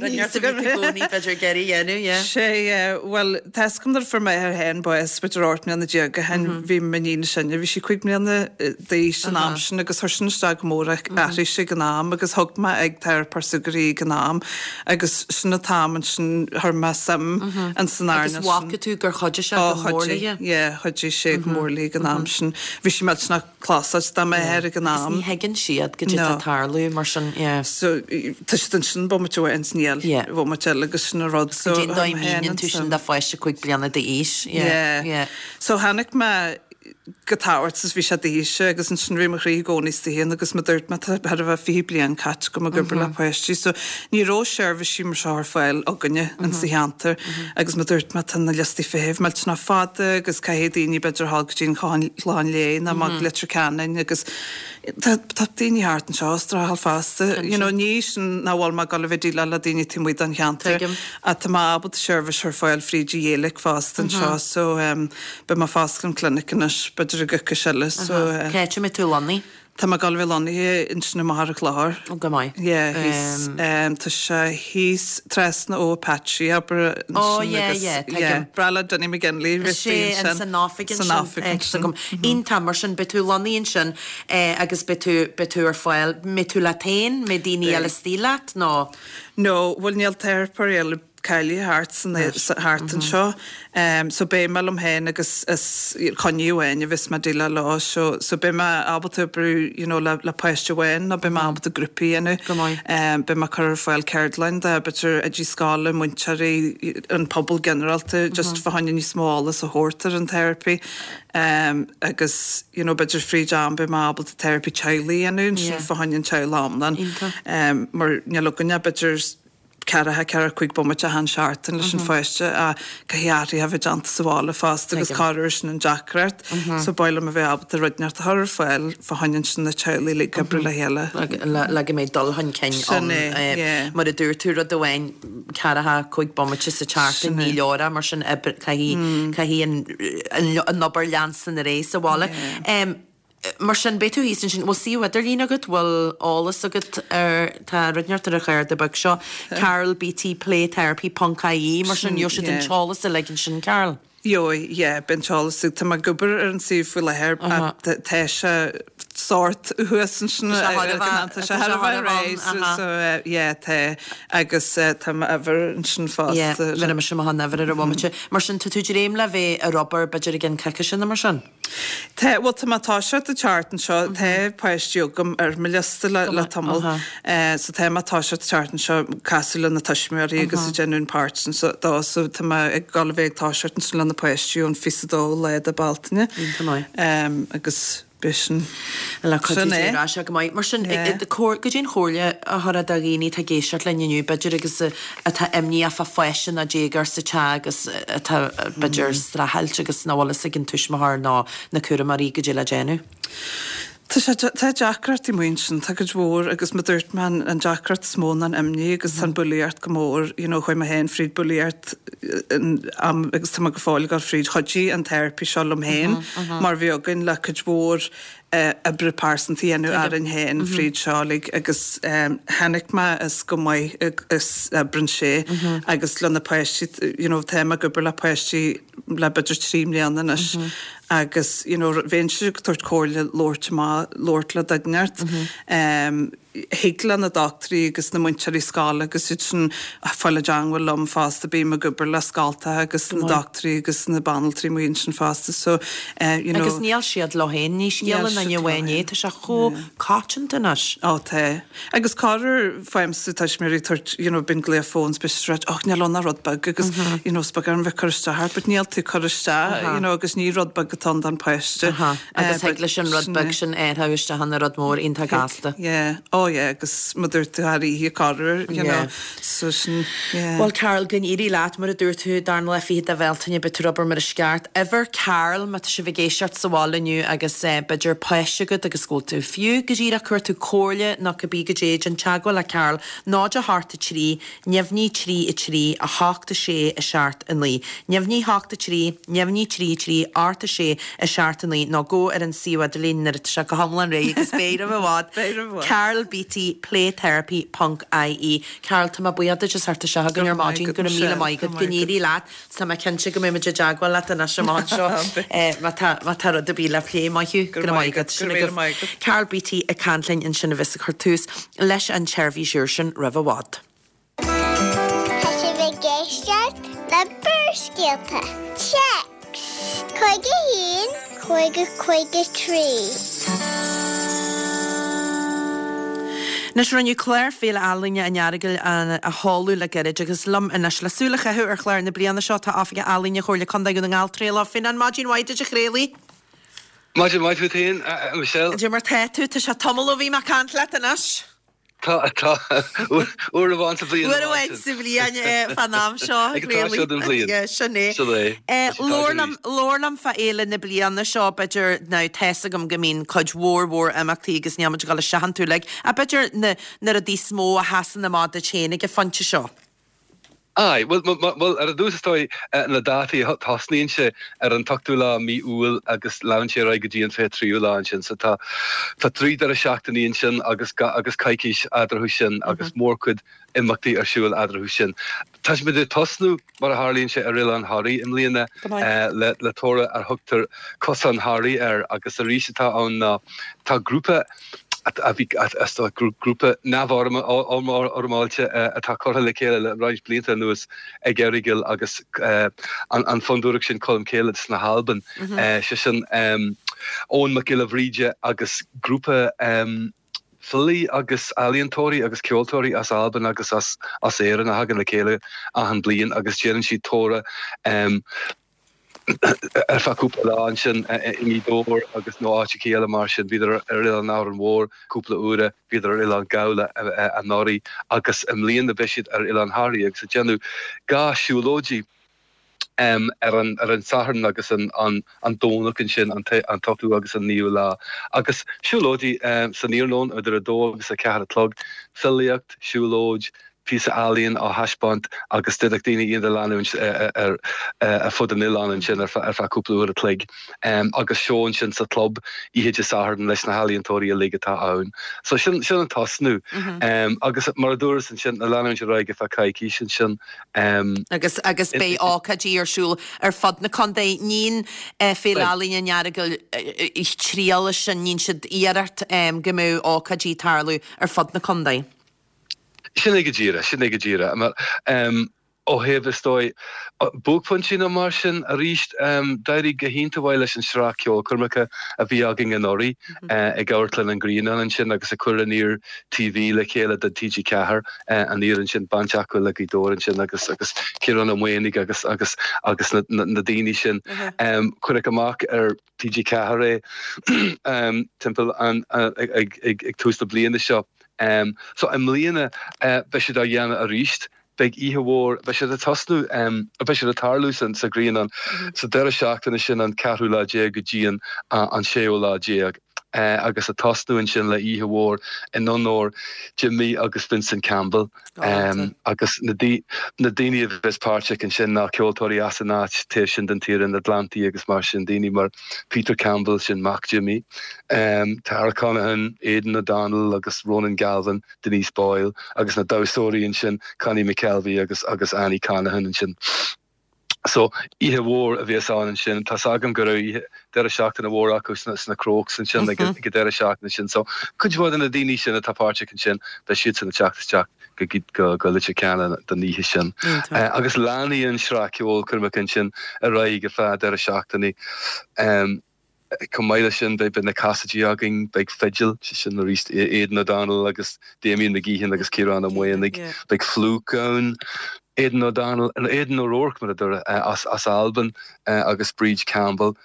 aníos agam. Rud i gcónaí b'fhéidir ag iarraidh a dhéanamh, yeah. Sé, yeah, bhuel tá 'fhios agam nuair a fuair m'athair féin bás b'fhéidir 18 mbliana ó shin, bhí m'iníon is sine, bhí sí 5 mbliana d'aois an am sin agus chuir sin isteach go mór athraigh sé ag an am agus thug mé ag teiripeoir súgartha í ag an am agus sin an t-am ansin chuir mé suim ins an Agus earnáil sin. bhfaca tú gur chuidigh sé Ó go mór chuidigh, léi? yeah, chuidigh sé go mór léi ag an am sin. Bhí sí millteanach closáilte dá máthair ag an Agus am. ní thuigeann siad goidé atá No. ag tarlú mar sin, yeah. So tá siad ansin bomaite amháin is níl Yeah. bomaite eile agus sin an rud so Goidé an chuir dóigh mé féin míníonn tú sin an do suim. pháiste 5 bliana d'aois, yeah, Yeah. yeah. So tháinig mé go tábhacht is bhí sé d'aois agus ansin bhí mo chroí i gcónaí istigh ann agus mar dúirt mé tá thar a bheith 20 bliain caite agam ag obair le páistí so ní raibh seirbhísí mar seo ar fáil againne in sa cheantar agus mar dúirt mé tá na liostaí feithimh millteanach fada agus caithfidh daoine b'fhéidir a dhul go dtí an Chlochán Léith nó amach go Leitir Ceanainn agus tá tá daoine thart anseo ag streachailt fosta you know ní sin nach bhfuil mé ag dul a bheith ag déileáil le daoine taobh amuigh den cheantar Tuigim. ach tá mé ábalta seirbhís a chur ar fáil fríd an Ghaeilge fosta anseo so Beidh mé ag foscailt an clinic anois, b'fhéidir i gcoicís eile, so. Cá háit a mbeidh tú lonnaithe? Tá mé ag dul a bheith lonnaithe ansin i Machaire Chlochair. Ó, go maith. Yeah, thíos, tá sé thíos trasna ó Apache, abair, ansin Ó, yeah, yeah, tuigim. Yeah, breá le Dinny McGinley, Is é, ansin. San oifig ansin. San oifig ansin. Agam. Iontach, mar sin, beidh tú lonnaithe ansin agus beidh tú, beidh tú ar fáil, mbeidh tú leat féin, mbeidh daoine eile istigh leat, nó? No, bhuel níl teiripeoir eile cáilithe thart san thart anseo. So beidh mé liom féin agus is coinne amháin a bheas mé ag déileáil leo so so beidh mé ábalta oibriú you know le le páiste amháin nó beidh mé ábalta grúpaí a dhéanamh. Go maith. Beidh mé ag cur ar fáil ceardlann do b'fhéidir oidí scoile, múinteoirí, an pobal ginearálta just fá choinne níos mó eolas a thabhairt ar an teiripí. Agus you know b'fhéidir fríd am beidh mé ábalta teiripí teaghlaigh a dhéanamh ansin fá choinne an teaghlach iomlán. Iontach. Mar níl againn ach b'fhéidir ceathracha, ceathracha cúig bomaite achan seachtain leis an pháiste ach caithfidh athruithe a bheith déanta sa bhaile fosta agus corruair sin an deacracht. So ba mhaith liom a bheith ábalta rud inteacht a chur ar fáil fá choinne ansin na teaghlaigh uilig oibriú le chéile. Le go mbeidh dul chun cinn Sin ann. é, yeah. Mar a dúirt tú, rud amháin, ceathracha cúig bomaite sa tseachtain, Sin é. ní leor é, mar sin oibre, caithfidh, caithfidh an, an obair leanstan ar aghaidh sa bhaile. Yeah. Mar sin, beidh tú thíos ansin. Bhfuil suíomh idirlín agat? Bhfuil eolas agat ar, tá rud inteacht ar an chárta beag seo, carolbtplaytherapy ponc ie, mar sin, gheobhaidh siad an t-eolas uilig ansin, Carol. Gheobhaidh, yeah, beidh an t-eolas agat. Tá mé ag obair ar an suíomh faoi láthair ach tá sé sórt thuas ansin. Tá sé thar a bheith, tá sé thar a bheith réidh, so yeah, tá agus tá m'uimhir ansin fosta. Yeah, bheir mise amach an uimhir ar an bhomaite. Mar sin, tá tú dréim le bheith ar obair b'fhéidir i gceann coicíse nó mar sin? Tá, bhuel tá mé ag toiseacht an tseachtain seo, tá páistí agam ar mo liosta le le tamall. So tá mé ag toiseacht an tseachtain seo casadh le na tuismitheoirí agus ag déanamh an páirt sin so dó so tá mé ag dul a bheith ag toiseacht ansin le na páistí ón 22 lá de Bealtaine. Iontach maith. Agus beidh sin, Le cuidiú sin Dé é. ar ais go maith. Mar sin, goidé an chomhairle a thabharfá do dhaoine atá ag éisteacht linn inniu, b'fhéidir agus atá imníoch fá pháiste nó déagóir sa teach agus atá, b'fhéidir, ag streachailt agus nach bhfuil fhios ag an tuismitheoir nó na cúramóirí goidé le déanamh. Tá sé, tá deacrachtaí amuigh ansin, tá cuid mhór agus mar dúirt mé an deacracht is mó ná an imní agus tá an bulaíocht go mór, you know chuaigh mé féin fríd bulaíocht in am agus tá mé go fóill ag dul fríd, chuidigh an therapy seo liom féin mar bhí againn le cuid mhór oibre pearsanta a dhéanamh orainn féin fríd seo uilig agus chonaic mé is go maith is oibreann sé agus le na páistí you know tá mé ag obair le páistí le b'fhéidir 3 mbliana anois agus you know bheinnse ag tabhairt comhairle labhairt amach labhairt le duine inteacht. thig le na dochtúirí agus na múinteoirí scoile agus iad sin fáil i dteangmháil liom fosta, bím ag obair le scoltacha agus na dochtúirí agus na banaltraí amuigh ansin fosta so you know. Agus níl siad leo féin, ní scéal an duine amháin é, tá sé chomh coitianta anois. Ó tá. Agus corruair faighimse tuismitheoirí ag tabhairt you know bíonn glaoch fóin 's beidh siad ag ráit och níl ann ach rud beag agus you know is beag orm bheith ag cur isteach ort but níl tú ag cur isteach you know agus ní rud beag atá ann don pháiste. Agus thig leis an rud beag sin athrú isteach ina rud mór iontach gasta. Yeah, oh yeah, agus mar a dúirt tú thar oíche corruair, you know, so sin, yeah. Bhuel Carol, go n-éirí leat, mar a dúirt tú, darna lá fichead de Bhealtaine, beidh tú ag obair mar is ceart. Uimhir Carol, má tá sibh ag éisteacht sa bhaile inniu agus b'fhéidir páiste agat agus go bhfuil tú fiú go díreach ag cuartú comhairle nó cibé goidé, déan teagmháil le Carol, 0 8 3 Neamhní 3 3 8 6 7 9 Neamhní 8 3 Neamhní 3 3 8 6 7 9 nó gabh ar an suíomh idirlín nuair atá sé go hiomlán réidh agus beidh roimh i bhfad. Beidh roimh i bhfad. carolbeatty playtherapy ponc ie Carol, tá mé buíoch duit as theacht isteach chugainn ar maidin. Go raibh míle maith agat. Go n-éirí leat. Tá mé cinnte go mbeidh muid i dteagmháil leat anois amach anseo má tá má tá rud ar bith le plé. Maith thú. Go raibh maith agat. Sin agaibh Carol Beatty ag caint linn ansin a bheas ag cur tús leis an tseirbhís úr sin roimh i bhfad. Tá sibh ag éisteacht le Barrscéalta. Téacs 51 50 53. Anois, rinneadh clár Féile Ealaíne an Earagail a sheoladh le gairid agus liom anois le súil a chaitheamh ar chlár na bliana seo tá Oifigeach Ealaíne Chomhairle Contae Dhún na nGall, Traolach Ó Fionnáin. Maidin mhaith duit a Thraolaigh. Maidin mhaith duit féin, a Michelle. Cad é mar tá tú? Tá sé tamall ó bhí mé ag caint leat anois. Tá, tá. Uair amháin sa bhliain. Uair amháin sa bhliain fán am seo. Ag an tráth seo den bhliain. Yeah, sin é. Sin é. Labhair liom, labhair liom fá fhéile na bliana seo, b'fhéidir, now tá's agam go mbíonn cuid mhór mhór imeachtaí agus níl muid ag dul isteach iontu uilig, ach b'fhéidir na, na rudaí is mó a sheasann amach duit féin ag an phointe seo. Aye, bhuel, bhuel, ar dtús is dóigh, na dátaí, tosnaíonn sé ar an t-ochtú lá mí Iúil agus leanann sé ar aghaidh go dtí an 23ú lá ansin. So tá, tá 3 deireadh seachtainí ansin agus, agus coicís eadarthu sin agus mórchuid imeachtaí ar siúl eadarthu sin. Tá muid ag tosnú, mar a tharlaíonn sé, ar Oileán Thoraí i mbliana le, le toradh ar thugtar Cosán Thoraí air agus arís atá ann ná tá grúpa, a bhí grúpa neamhfhoirmeáilte atá curtha le chéile le roinnt blianta anuas ag Earagail agus an fondúireacht sin Colm Céile sna hAlban, sé sin Eoghan Mac Giolla Bhríde agus grúpa filí agus ealaíontóirí agus ceoltóirí as Albain agus as Éirinn a thagann le chéile achan bliain agus déanann siad tórramh ar feadh cúpla lá ansin i nGaoth Dobhair agus nó áiteachaí eile mar sin. Bhíodar ar Oileán Árainn Mhór cúpla uaire, bhíodar ar Oileán Ghabhla anuraidh agus i mbliana beidh siad ar Oileán Thoraí agus ag déanamh 2 siúlóidí ar an ar an Satharn agus an an Domhnach ansin, an t-ochtú agus an naoú lá. Agus siúlóidí san iarnóin idir a dó agus a ceathair a chlog, filíocht, siúlóid, píosa ealaíon á thaispeáint agus d'fhéadfadh daoine iad a leanúint ar fud an oileáin ansin ar feadh cúpla uair a chloig agus seó ansin sa chlub oíche Dé Sathairn leis na healaíontóirí uilig atá ann. So sin sin an tosnú agus mar a dúras ansin ag leanúint ar aghaidh ar feadh coicís ansin. Agus agus beidh ócáidí ar siúl ar fud na contae. Níonn Féile Ealaíne an Earagail triail leis sin, níonn siad iarracht go mbeadh ócáidí ag tarlú ar fud na contae. Sin é go díreach, sin é go díreach. Mar, ó thaobh, is dóigh, buaicphointí nó mar sin, arís, d'éirigh go hiontach mhaith leis an sraith ceolchoirmeacha a bhí againn anuraidh ag Amharclann an Ghrianáin ansin agus ag cur Aniar TV le chéile do TG4, Aniar ansin, baint acu le Gaoth Dobhair ansin agus agus Ciarán Ó Maonaigh agus agus agus na na daoine sin. Cuireadh amach ar TG4 é timpeall an ag tús na bliana seo. So i mbliana beidh siad á dhéanamh arís. Beidh oíche mhór, beidh siad ag tosnú, beidh siad ag tarlú sa Ghrianán sa deireadh seachtaine sin an ceathrú lá déag go dtí an an séú lá déag agus ag tosnú ansin le oíche mhór in onóir Jimmy agus Vincent Campbell. Agus na daoine a bheas páirteach ansin ná ceoltóirí as an áit taobh sin den tír, in Atlantaigh agus mar sin, daoine mar Peter Campbell, sin mac Jimmy, Tara Conaghan, Aidan O'Donnell agus Ronan Galvin, Denise Boyle agus na damhsóirí ansin, Connie McKelvey agus agus Annie Conaghan ansin. So, oíche mhór a bheas ann ansin. Tá's agam go raibh oíche. deireadh seachtaine mhór acu sna Crokes ansin ag an deireadh seachtaine sin. So cuid mhaith de na daoine sin atá páirteach ansin, beidh siadsan ag teacht isteach go go Leitir Ceanainn don oíche sin. Agus leanfaidh an sraith ceolchoirmeacha ansin ar aghaidh ar feadh deireadh seachtaine. Chomh maith leis sin, beidh na casaidí againn, beidh fidil, sé sin arís Aidan O'Donnell agus Damien McGeehan agus Ciarán Ó Maonaigh, beidh Flook ann, Aidan O'Donnell, nó Aidan O'Rourke mar a dúradh, as Albain agus Bríd Campbell,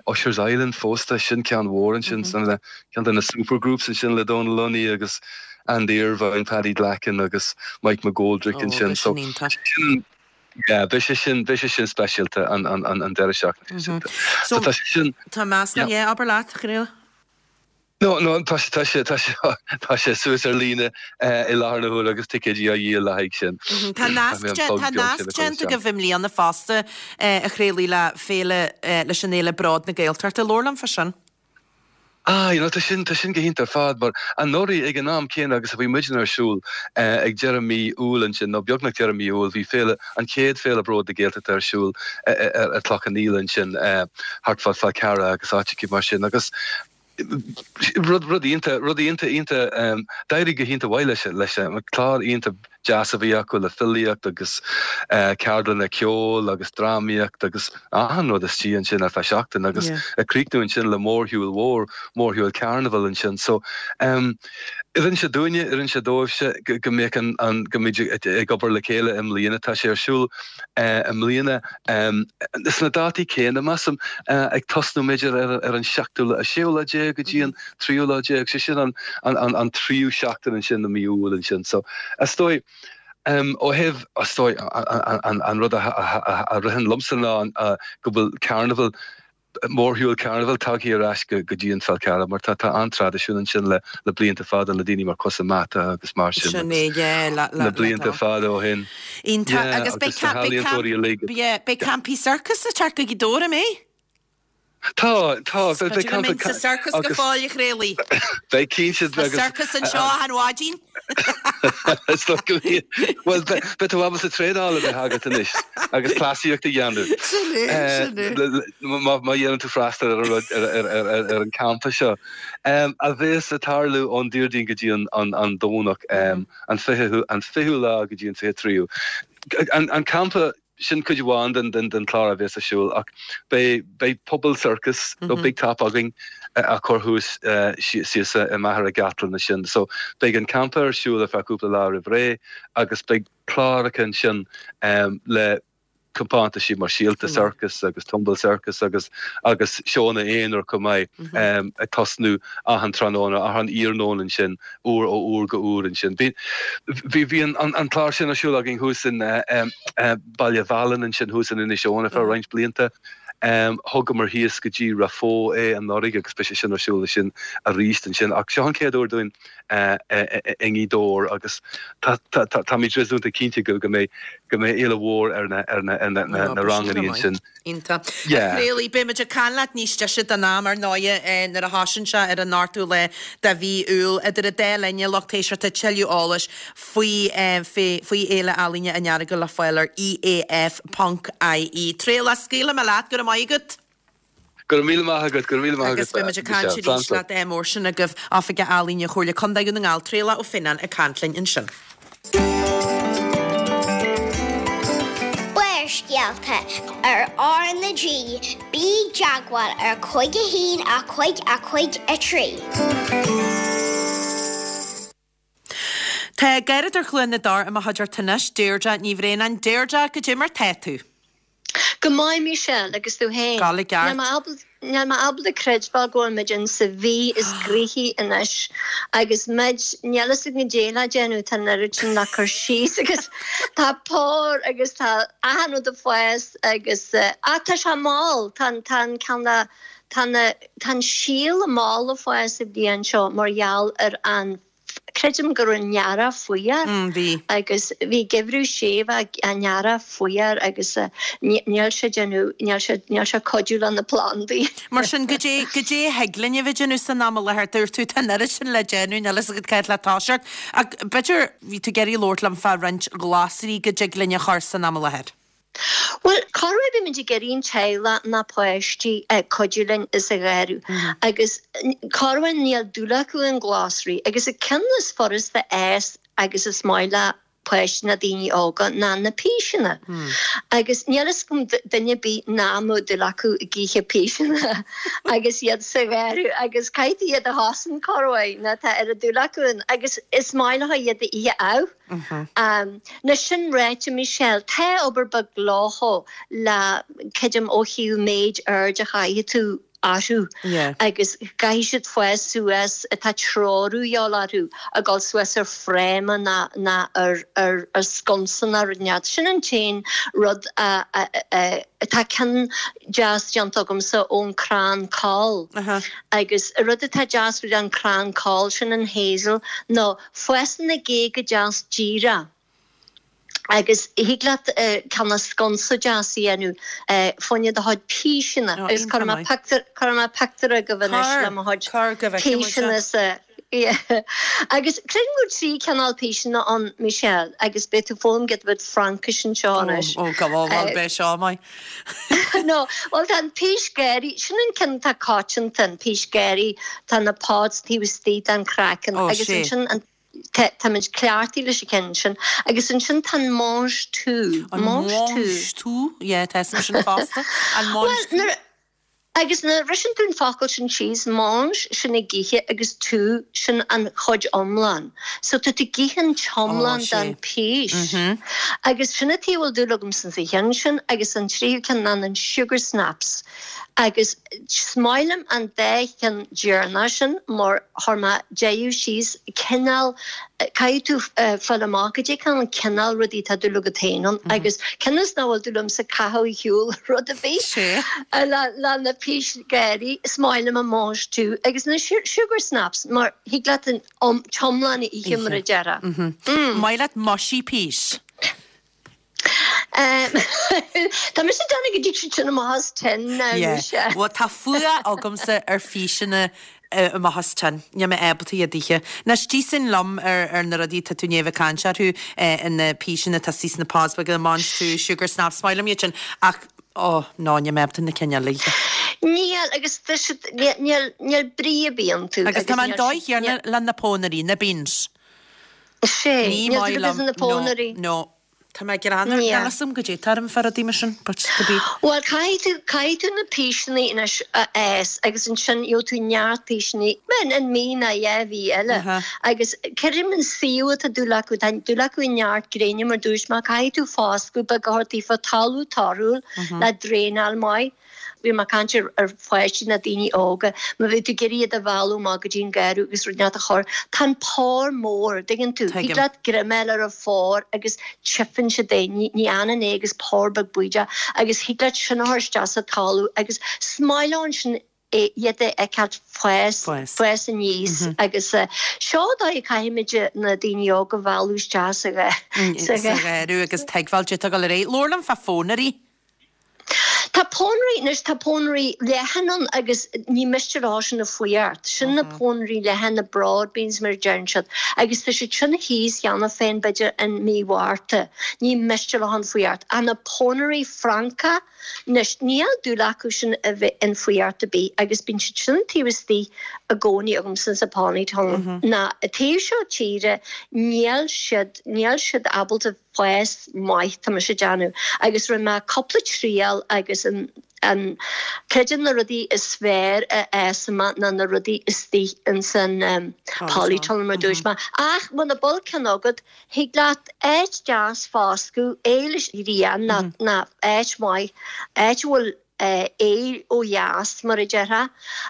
Usher's Island fosta, sin ceann mhór ansin, ceann de na supergroups ansin le Dónal Lunny agus Andy Irvine, Paddy Glackin agus Mike McGoldrick ansin. So sin Yeah, beidh sé sin, beidh sé sin speisialta an, an, an, an deireadh seachtaine sin. So tá sé sin. Tá meascán, yeah, abair leat, Chraola. No, no, tá sé, tá sé, tá sé, tá sé suas ar líne i láthair na huaire agus ticéidí á dhíol le haghaidh sin. Tá nasc, tá nasc déanta agaibh i mbliana fosta, a Chraolaigh, le féile, leis an fhéile Bród na Gaeltachta. Labhair liom fá sin. Ah, you know, tá sin, tá sin go hiontach ar fad, mar anuraidh ag an am céanna agus a bhí muidne ar siúl ag deireadh mí Iúil ansin, nó beagnach deireadh mí Iúil, bhí féile, an chéad Féile Bród na Gaeltachta ar siúl ar Chloich Cheann Fhaola ansin, thart fá Fál Carrach agus áiteacha mar sin agus rud, rud iontach, rud iontach, iontach, d'éirigh go hiontach mhaith leis, leis an clár iontach deas a bhí acu le filíocht agus ceardlanna ceoil agus drámaíocht agus achan rud istigh ansin ar feadh seachtain agus ag críochnú ansin le mórshiúl mhór, mórshiúl carnival ansin. So oireann sé dúinne, oireann sé dóibhse go mbeadh an, an, go mbeidh ag obair le chéile i mbliana. Tá sé ar siúl i mbliana sna dátaí céanna, measaim, ag tosnú b'fhéidir ar an seachtú, séú lá déag go dtí an tríú lá déag, sé sin an, an, an tríú seachtain ansin i mí Iúil ansin. So, is dóigh, ó thaobh, is dóigh, an, an rud a, a, a ritheann liomsa ná go bhfuil carnival, mórshiúl carnival tagtha ar ais go, go dtí an Fál Carrach mar tá, tá an-traidisiún ansin le, le blianta fada le daoine mar Cosa Mata agus mar sin Sin é, yeah, le, le, le blianta fada ó shin. Iontach, Yeah, agus beidh, agus na beidh, healaíontóirí uilig. yeah, beidh campaí sorcas ag teacht go Gaoth Dobhair, an mbeidh? Tá, tá, beidh campa sa sorcas go fóill, a Chraolaigh. Beidh cinnte. Tá sorcas anseo achan mhaidin. Is dóigh go mbíonn. Bhuel, beidh tú ábalta traenáil a bheith agat anois agus cleasaíocht a dhéanamh. Sin é, sin é. Má dhéanann tú freastal ar an rud, ar an campa seo, a bhéas ag tarlú ón Déardaoin go dtí an Domhnach, an fichiú lá go dtí an 23ú. An campa Sin cuid amháin den chlár a bhéas ar siúl ach beidh beidh puball sorcas nó Big Top againn á chur thuas síos i Machaire Gathlán ansin. So beidh an campa ar siúl ar feadh cúpla lá roimh ré agus beidh cláracha ansin le compántaisí mar Síolta Circus agus Tumble Circus agus agus seónna aonair chomh maith ag tosnú achan tráthnóna, achan iarnóin ansin. uair ó uair go uair ansin. Bhí bhí an an clár sin ar siúl againn thuas in Baile Mhealláin ansin thuas in Inis Eoghain ar feadh roinnt blianta. Thugamar thíos go dtí Ráth Bhoth é anuraidh agus beidh sé sin ar siúl ansin arís ansin. Ach seo an chéad uair dúinn i nGaoth Dobhair agus tá tá táimid réasúnta cinnte go go mbeidh go mbeidh éileamh mhór ar na ar na ar na na rangannaí ansin. Iontach. A Chraolaigh, beidh muid ag caint leat níos deise den am, ar ndóighe, nuair a thosaíonn sé ar an ochtú lá de mhí Iúil. Idir an dá linn, a lucht éisteachta, tuilleadh eolais faoi faoi Fhéile Ealaíne an Earagail le fáil ar EAF ponc IE. Traolach, scaoilfidh mé leat, go raibh maith agat. Go raibh míle maith agat, go raibh míle maith agat, Agus beidh muid ag caint arís leat mór sin agaibh, Oifigeach Ealaíne Chomhairle Contae Dhún na nGall, Traolach Ó Fionnáin ag caint linn ansin. Barrscéalta ar R na G, bí i dteagmháil ar 5 1 5 5 3. Tá Garradóir Chluain na dTor i mo chuideachta anois, Deirdre Ní Bhraonáin. Deirdre, goidé mar tá tú? Go maith Michelle, agus tú féin? Gabháil i gceart. Níl mé ábalta creidbheáil go bhfuil muid in sa mhí is gnoithí anois agus muid, níl fhios againn goidé le déanamh, tá an oiread sin le cur síos agus tá pór agus tá achan rud ag fás agus ach tá sé mall, tá an, tá an ceann le, tá na, tá an síol mall ag fás an bhliain seo mar gheall ar an Creidim go raibh an t-earrach fuar agus bhí geimhreadh séimh an earrach fuar agus níl sé déanamh, níl sé, níl sé cuidiú le na plandaí. Mar sin, goidé, goidé a thig linn a bheith ag déanamh san am i láthair? Dúirt tú, tá an oiread sin le déanamh, níl fhios agat cá háit le toiseacht. Ach b'fhéidir, bhí tú ag iarraidh labhairt liom fá roinnt glasraí go dtig linn a chur san am i láthair. Bhuel, corruair bímid ag iarraidh an teaghlach ná páistí cuidiú linn sa gharradh agus corruair níl dúil acu i nglasraí agus an ceann is furasta a fhás agus is maith le páistí ná daoine óga ná na píseanna. Agus níl fhios agam duine ar bith nach mbeadh dúil acu ag ithe píseanna agus iad sa gharradh agus caithfidh tú iad a chosaint corruair ná tá oiread dúil acu ann agus is maith leo iad a ithe amh. Anois sin ráite, Michelle, tá obair beag leofa le, creidim, ó thaobh méid aird a chaithfidh tú orthu agus caithfidh siad fás suas, tá treorú a dhíobháil orthu, ag dul suas ar fráma ná ná ar ar ar sconsa ná rud inteacht. Sin an t-aon rud a tá ceann deas déanta agamsa ón crann coll agus rud atá deas faoi an crann coll sin an hazel ná Fásann na géaga deas díreach agus thig leat cineál sconsa deas a dhéanamh fá choinne do chuid píseanna agus cuirfidh mé pictiúr, cuirfidh mé pictiúr agaibh anois le mo chuid píseanna sa, yeah. Agus creidim go bhfuil 3 cineál píseanna ann, Michelle, agus beidh tú ag foghlaim giota beag Fraincis anseo anois. Ó, ó, ó, bhuel beidh seo maith. No, bhuel tá an pís ghéaraí, sin an ceann atá coitianta, an pís ghéaraí, tá na pods taobh istigh den chraiceann agus ansin an, táimid cleachtaithe leis an cheann sin, agus ansin tá an mange tout, An mange tout. mange tout, yeah, tá fhios agam sin fosta, an mange Bhuel, tout. nuair, Agus nuair a bhriseann tú an focal sin síos, mange, sin ag ithe, agus tout, sin an chuid iomlán. So tá tú ag ithe an t-iomlán den phís. Agus sin an taobh a bhfuil dúil agamsa sa cheann sin agus an tríú ceann ná an sugar snaps. Agus is maith liom an dá cheann deireanach sin mar chuir mé deireadh síos cineál, caithfidh tú fáil amach goidé an cineál rudaí atá dúil agat féin ann agus cionn is nach bhfuil dúil agamsa caitheamh ar shiúl rud ar bith le na pís ghéaraí, is maith liom an mange tout agus na sugar snaps mar thig leat an t-iomlán a ithe mar a déarfá. Maith leat mushy peas. Tá mise ag déanamh go dtig siad sin amach as tin now, Yeah. mise. Bhuel, tá fuath agamsa ar phíseanna amach as tin. Níl mé ábalta iad a ithe. Anois, díosfainn liom ar ar na rudaí atá tú i ndiaidh a bheith ag caint orthu, na píseanna atá istigh sna pods beaga, mange tout, sugar snaps, is maith liom iad sin, ach, oh, no, níl mé ábalta na cinn eile a ithe. Níl, agus tá siad, níl, níl brí ar bith iontu. Agus tá mé an dóigh chéanna le na pónairí, na beans. Sé, Ní níl maith dúil liom, agat sna no, pónairí. no. Tá mé greannmhar, Yeah. níl fhios agam goidé atá orm fá rudaí mar sin, but to be. Bhuel, caithfidh tú, caithfidh tú na píseanna anois a fhás agus ansin gheobhaidh tú neart píseanna in, in mí ná dhá mhí eile. Uh-huh. Agus creidim an suíomh atá dúil acu, tá dúil acu i neart gréine mar dúirt mé, caithfidh tú foscadh beag a thabhairt daofa, talamh torthúil le draenáil maith. Bhí mé ag caint ar pháistí ná daoine óga, má bhí tú ag iarraidh iad a mhealladh amach go dtí an garradh agus rud inteacht a chur, tá an pór mór, dtuigeann tú? Thig leat greim a fháil ar an phór agus tchífeann siad é, ní fhanann é agus pór beag baoideach agus thig leat sin a chur isteach sa talamh agus is maith leo ansin iad a fheiceáilt fás, fás aníos agus seo an dóigh a caithfimid na daoine óga a mhealladh isteach sa gharradh agus tuigbheáil duit a dhul ar aghaidh. Labhair liom fá phónairí. Tá pónairí, anois tá pónairí leathan ann agus ní miste leo sin an fuireacht. Sin na pónairí leathan, na broad beans mar a deireann siad, agus tá siad sin thíos cheana féin b'fhéidir in mí Mhárta. Ní miste leo an fuireacht. Ach na pónairí Francacha, anois níl dúil acu sin a bheith in fuireacht ar bith agus bíonn siad sin taobh istigh i gcónaí agamsa sa polytunnel. Ná taobh seo tíre níl siad, níl siad ábalta fás maith, tá mise ag déanamh, agus rinne mé cúpla triail agus an, an, creidim na rudaí is fearr a fhásann amach ná na rudaí istigh ins an polytunnel mar dúirt mé. Ach muna bhfuil ceann agat, thig leat áit deas foscadh, é leis an ghrian ná, ná áit mhaith, áit a bhfuil aer ó dheas, mar a déarfá,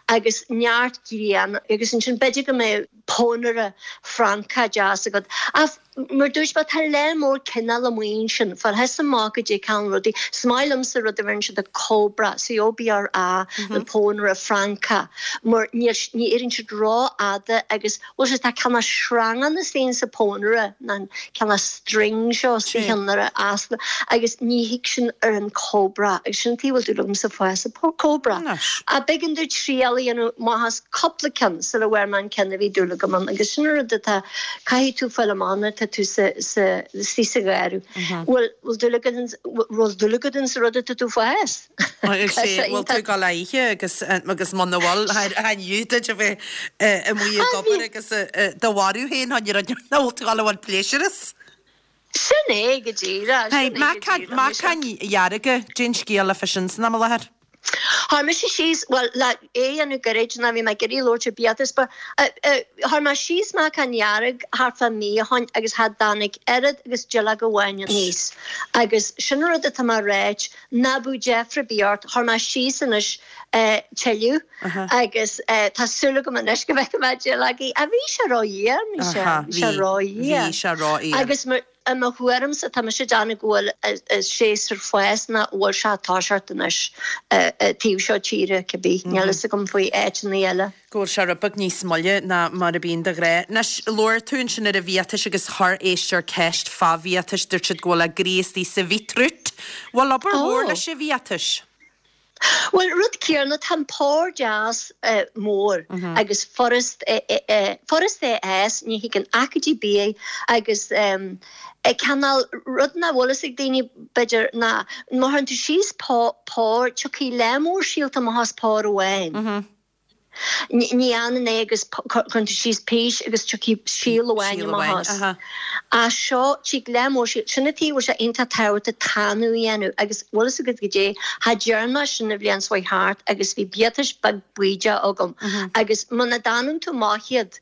agus neart grian agus ansin b'fhéidir go mbeadh pónaire Francach deas agat. Ach mar dúirt mé, tá lear mór cineál amuigh ansin, fáil fhios amach goidé cineál rudaí. Is maith liomsa rud a bheireann siad a cobra, C-O-B-R-A, an pónaire Francach, mar ní éiríonn siad rófhada agus Bhuel sea, tá cineál sreangán istigh sa pónaire, ná an cineál string seo istigh ann nuair a fhásann agus ní thig sin ar an cobra agus sin an taobh a bhfuil dúil agamsa fás an cobra. Ach b'éigean domh triail a dhéanamh amach as cúpla ceann sula bhfuair mé an ceann a bhí dúil agam ann agus sin an rud atá, caithfidh tú fáil amach nuair atá. tú sa sa istigh sa gharradh. Bhfuil bhfuil dúil agat in bhfuil dúil agat in sa rud atá tú fás? Is é bhfuil tú ag dul a ithe agus agus muna bhfuil chan fhiú duit a bheith amuigh ag obair agus do mharú féin chun rud nach bhfuil tú ag dul a bhaint pléisiúr as. Sin é go díreach, sin é go díreach. Meacain dhearga, cén scéal fá sin san am i láthair. Chuir mise síos, bhuel, le é a dhéanamh gairid, ná bhí mé ag iarraidh labhairt ar biatas, but chuir mé síos meacan dhearg thart fá mí ó shoin agus cha dtáinig oiread agus duilleog amháin aníos. Agus sin an rud atá mé a ráit, ná bíodh deifir ar bith ort, chuir mé síos anois tuilleadh agus tá súil agam anois go bhfeicfidh mé duilleogaí. Ach bhí sé ró-fhuar, Michelle, bhí sé ró-fhuar. Bhí sé ró-fhuar. Agus I mo thuairimse, tá mise ag déanamh go bhfuil an séasúr fás ná bhfuil sé ag toiseacht anois taobh seo tíre, cibé. Níl fhios agam faoi áiteanna eile. Go bhfuil sé rud beag níos moille ná mar a bhíonn de ghnáth. Anois, labhair tú ansin ar an bhiatais agus chuir éisteoir ceist fá bhiatais, dúirt siad go bhfuil a gcroí istigh sa bhíotrút. Bhfuil obair mhór leis an bhiatais? Bhuel, rud céanna, tá an pár deas mór agus furast furast é a fhás, ní thigeann aicídí bídh agus cineál rud nach bhfuil fhios ag daoine b'fhéidir ná má chuireann tú síos pár, tiocfaidh lear mór síolta amach as pár amháin. Ní ionann é agus cuireann tú síos pís agus tiocfaidh síol amháin amach as. Ach seo, tig lear mór síol, sin an tuige a bhfuil sé iontach tábhachtach tanú a dhéanamh agus bhfuil fhios agat goidé, cha dtearn mé sin an bhliain seo chuaigh thart agus bhí biatais beag baoideach agam agus muna dtanann tú amach iad,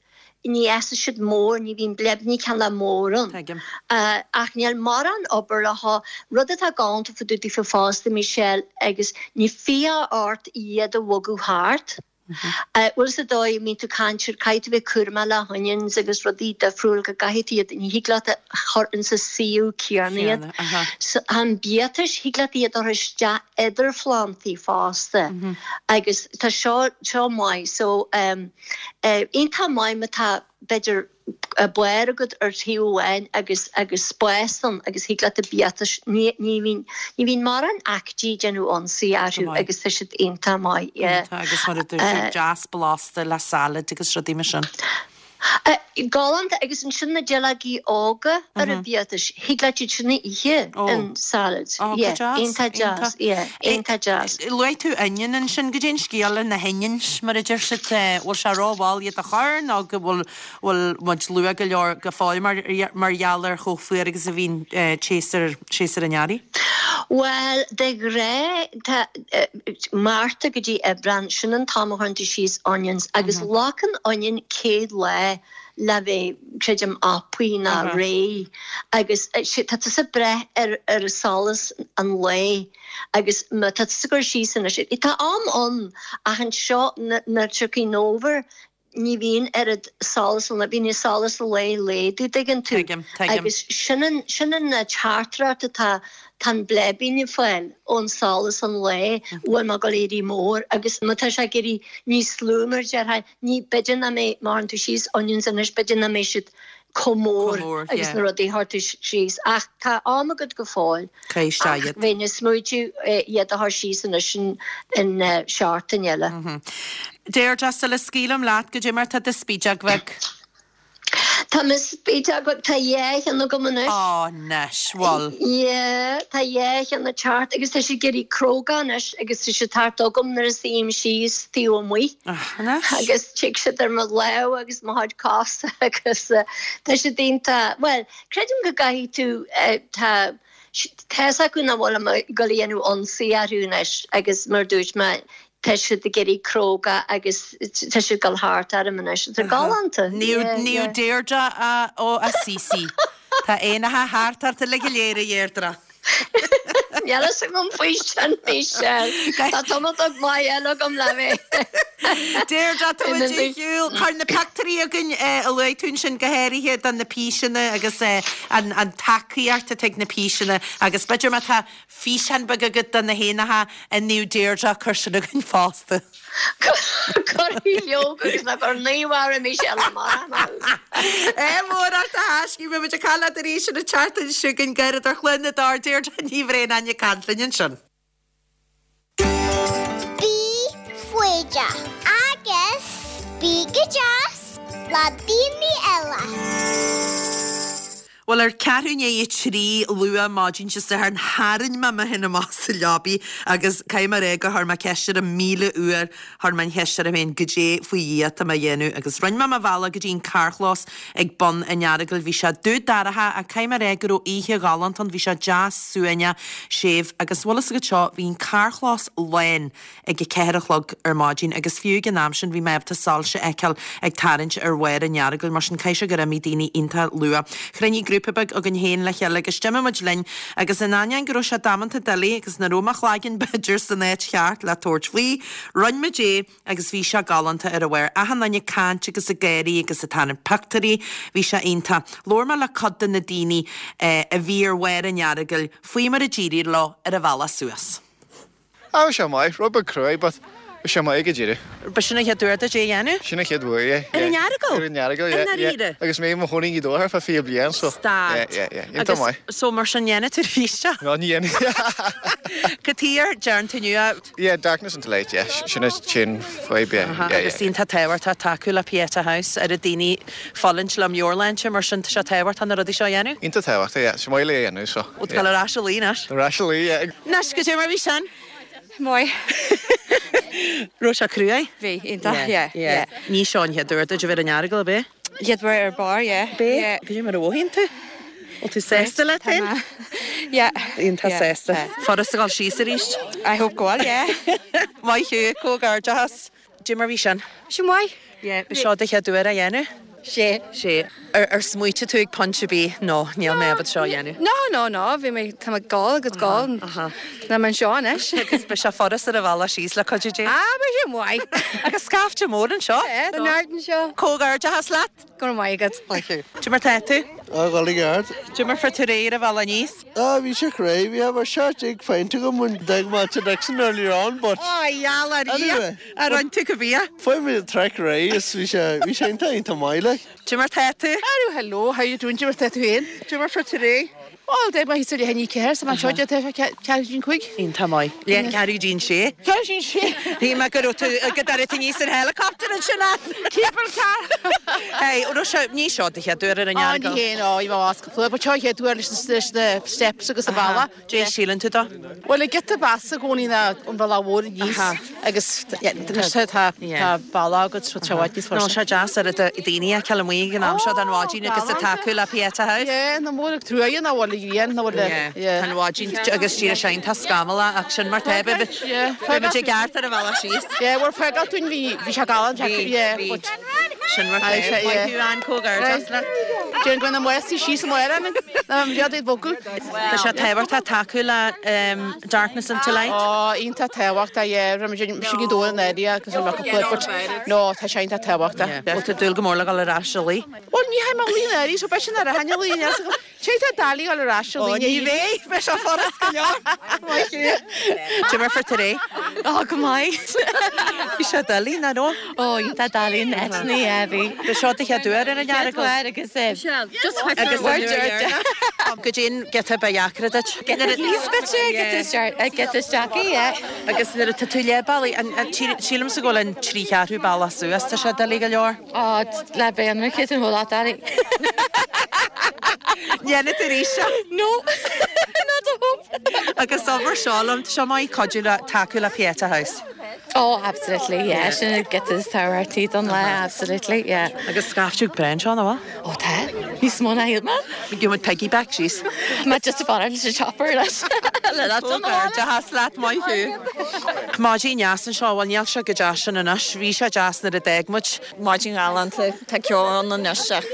ní fhásfaidh siad mór, ní bhíonn bleibní cineál mór ann. Tuigim. Ach níl mórán obair leo. Rud atá galánta fá dtaobh daofa fosta, Michelle, agus ní fiach ort iad a bhogadh thart. Bhfuil fhios agat an dóigh a mbíonn tú ag caint ar caithfidh tú bheith cúramach le honions agus rudaí difriúil go gcaithfidh tú iad, ní thig leat a chur insa suíomh céanna iad. So tá an biatais, thig leat iad a chur isteach idir phlantaí fosta agus tá seo, seo maith. So. Iontach maith má tá, b'fhéidir, barr agat ar thaobh amháin agus agus spás ann agus thig leat an biatais, ní ní bhíonn ní bhíonn mórán aicídí ag déanamh ionsaí orthu agus tá siad iontach maith, yeah. Iontach agus mar a dúirt tú, deas blasta le salad agus rudaí mar sin. Galánta agus ansin na duilleogaí óga ar an bhiatais, thig leat iad sin a ithe in salad. Ó, go Yeah, deas, iontach deas, iontach. yeah, iontach deas. Luaigh tú onion ansin, goidé an scéal le na honions, mar a deir siad, bhfuil sé rómhall iad a chur nó go bhfuil, bhfuil muid luath go leor go fóill mar, mar gheall ar chomh fuar agus a bhíonn séasúr, séasúr an earraigh? Bhuel, de ghnáth, tá, Márta go dtí Aibreán, sin an t-am a chuireann tú síos onions agus glacann onion 100 lá le bheith, creidim, acmhaí ná réidh agus tá tusa ag brath ar ar solas an lae agus má tá tusa ag cur síos anois, tá am ann ach anseo nuair a tiocfaidh an fhómhar ní bhíonn oiread solas an lae, bíonn an solas an lae laghdú, dtuigeann tú? Tuigim, tuigim. Agus sin an, sin an teachtaireacht atá, tá an bleibín ag fáil ón solas an lae, bhfuil mé ag dul éirí mór agus má tá sé ag éirí níos lú mar a déarfá, ní, b'fhéidir nach mbeidh, má chuireann tú síos onions anois, b'fhéidir nach mbeidh siad chomh mór agus na rudaí a chuir tú síos. Ach tá am agat go fóill. Ach bheinn ag smaoitiú iad a chur síos anois in seachtain eile. Deirdre, sula scaoilim leat, goidé mar tá do spideog bheag? Tá mo spideog bheag, tá dhá cheann agam anois. Á, anois, bhuel. Yeah, tá dhá cheann ag teacht agus tá siad ag éirí cróga anois agus tá siad thart agam nuair a suím síos taobh amuigh. Anois. Agus tig siad ar mo lámh agus mo chuid cos agus tá siad iontach, bhuel, creidim go gcaithfidh tú, tá, tá's acu nach bhfuil mé ag dul a dhéanamh ionsaí orthu anois agus mar a dúirt mé, tá siad ag éirí cróga agus tá siad ag dul thart orm anois. Tá galánta. Naomh Deirdre ó Assisi. Tá éanacha thart ort uilig go léir, a Dheirdre. Níl fhios agam faoi sin, Michelle. Tá tamall maith eile agam le bheith. Deirdre, tá muid ar shiúl. Cuir na pictiúirí chugainn a luaigh tú ansin, go háirithe do na píseanna agus an tacaíocht atá ag na píseanna agus b'fhéidir má tá físeán beag agat do na héanacha i Naomh Deirdre, cuir sin chugainn fosta. Cuirfidh leog agus ná cuir naomh Michelle amach. Ádh mór ort a thaiscidh, beidh muid ag caint leat arís an tseachtain seo chugainn gairid ar Chluain na dTor Deirdre Ní Bhraonáin ag caint linn ansin. Bí foighdeach agus bí go deas le daoine eile. Bhuel, ar ceathrú i ndiaidh a 3 luath maidin Dé Sathairn, tharraing mé mé féin amach as an leabaidh agus caithfidh mé a rá gur chuir mé ceist orm 1,000 uair, chuir mé an cheist orm féin, goidé faoi Dhia atá mé a dhéanamh? Agus rinne mé mo bhealach go dtí an carrchlós ag bun an Earagail. Bhí sé dubh dorcha ach caithfidh mé a rá go raibh oíche ghalánta ann, bhí sé deas suaimhneach séimh agus bhfuil fhios agat seo, bhí an carrchlós lán ag a ceathair a chlog ar maidin agus fiú ag an am sin bhí mé ábalta soilse a fheiceáil ag tarraingt ar bharr an Earagail, mar sin caithfidh sé gur imigh daoine iontach luath. Chruinnigh grúpa beag againn féin le chéile agus d'imigh muid linn agus in ainneoin go raibh sé damanta doiligh agus nach raibh mo chlaigeann b'fhéidir san áit cheart le tabhairt faoi, rinne muid é agus bhí sé galánta ar a bharr. Achan duine ag caint agus ag gáirí agus ag tarraingt pioctúirí, bhí sé iontach. Labhair mé le cuid de na daoine a bhí ar bharr an Earagail faoi mar a d'éirigh leo ar an bhealach suas. Ah, bhí sé maith, rud beag cruaidh, but bhí sé maith ag an deireadh. B'shin an chéad uair duit é a dhéanamh? Sin an chéad uair, yeah, yeah. Ar an Earagail? Ar an Earagail, yeah, yeah. I ndáiríre? Agus mé i mo chónaí i nGaoth Dobhair ar feadh 20 bliain, so, Stad. yeah, yeah, yeah. Iontach maith. Agus, so mar sin dhéanfaidh tú arís é? No, ní dhéanfaidh. Cad chuige ar dtearn tú inniu é? Yeah, darkness into light, yeah, sin an t-aon fadhb, yeah, yeah, yeah. Agus iontach tábhachtach tacú le Pieta House, oiread daoine ag fulaingt le meabhairshláinte, mar sin tá sé tábhachtach na rudaí seo a dhéanamh. Iontach tábhachtach, yeah, is maith le é a dhéanamh, so, yeah. Bhfuil tú ag dul ar ais a luí anois? Ar ais a luí, yeah. Anois, goidé mar bhí sin? Maith. Raibh sé cruaidh? Bhí, iontach, yeah, yeah. Ní seo an chéad uair duit a bheith ar an Earagail, ab é? Chéad uair ar barr, yeah. Ab é? Yeah. Goidé mar a mhothaíonn tú? Bhfuil tú sásta leat féin? Tá mé. Yeah. Iontach sásta. Furast a dhul síos arís? I hope go bhfuil, yeah. Maith thú, comhghairdeachas. Goidé mar bhí sin? Bhí sé maith. Yeah, b'seo do chéad uair á dhéanamh? Sé. Sé. Ar, ar smaoitigh tú ag pointe ar bith, no, níl mé ábalta seo a dhéanamh? No, no, no, bhí mé, tá mé ag gabháil agus gabháil, tá mé anseo anois. Agus beidh sé furast ar an bhealach síos le cuidiú Dé. Ah, beidh sé maith. Agus scaifte mór anseo. Yeah, tá neart anseo. Comhghairdeachas leat. Go raibh maith agat. Thank you. Goidé mar tá tú? Ah, ag dul i gceart. Goidé mar fuair tú ar an bhealach aníos? Ah, bhí sé cruaidh. Bhí about 17 pint agam when d'fhág mé Tigh Dixon earlier on, but. Ah, gheall ar Dhia! Anyway. Ar roinn tú go bia? Fuair mé an trek réidh is bhí sé, bhí sé iontach, iontach maith, like. Goidé mar tá tú? Hello, hello, how you doing? Goidé mar tá tú féin? Goidé mar fuair tú ar aghaidh? Bhuel, d'fhág mé thíos ar leath i ndiaidh a 4, so anseo tá sé ceathrú go dtí an 5. Iontach maith. Leath ceathrú go dtí an sé. Ceathrú go dtí an sé. Shíl mé go raibh tú, go dtabharfaidh tú aníos ar helicopter ansin é. Cable car. Hey, raibh sé, ní seo do chéad uair ar an Á, Earagail. ní hé, no, bhí mé abhus cúpla uair, but seo an chéad uair leis na, leis na steps agus an bealach. Goidé a síleann tú dó? Bhuel, an giota b'fheasa i gcónaí ná an bealach mhór aníos agus anois tá tá bealach agat so tá i bhfad níos fusa. Nó sé deas oiread daoine a fheiceáil amuigh ag an am seo den mhaidin agus ag tacú le Pieta House. Yeah, nach mór an truaighe nach bhfuil an ghrian, nach bhfuil a, yeah. Tá an mhaidin agus díreach sin tá scamallach ach sin mar tá, beidh muid i gceart ar an bhealach síos. Yeah, bhuel fágáil dúinn bhí bhí sé galánta, yeah, but Sin mar tá, maith thú Ann, comhghairdeas leat. Déan go na maosaí síos an mhaoir ann, ná an rud iad bhogadh. Tá sé tábhachtach tacú le Darkness into Light. Ó, iontach tábhachtach, yeah. Rinne muid mise go dóigh an area agus an rock club, but no, tá sé iontach tábhachtach. Yeah. Bhfuil tú ag dúil go mór le dhul ar ais a luí? Bhuel, ní théim a luí an area, so beidh sin ar a hainne luí, Sé tá doiligh dhul ar ais a luí. Ó, ní bheidh, beidh sé furast go leor. Maith thú. Goidé mar fuair tú ar aghaidh? Ó, go maith. Bhí sé doiligh, nach raibh? Ó, iontach doiligh an áit, yeah, bhí. Bhí seo do chéad uair ar an Earagail? Chéad uair agus just Agus an uair dheireanach. Goidé an giota ba dheacra duit. Giota thíos b'fhéidir, giota isteach, yeah. Agus nuair atá tú leath bealaigh, sílimse go bhfuil an trí cheathrú bealach suas, tá sé doiligh go leor. Ó, le bheith ionraic an whole lot doiligh. Dhéanfaidh tú arís é? No, not a hope. Agus obair seo liom, tá sé maith cuidiú le, tacú le Pieta House. Oh, absolutely, yeah. Sin an giota is tábhachtaí don lá, absolutely, yeah. Agus scaifte breá anseo, nach bhfuil? Ó tá. Níos mó ná shíl mé. Gheobhaidh muid piggyback síos. Má just ag fanacht leis an chopper leis. Le leat don Comhghairdeachas leat, maith thú. Maidin dheas anseo, bhuel níl sé chomh deas sin anois, bhí sé deas nuair a d'fhág muid. Maidin ghalánta, tá ceo ann anois ach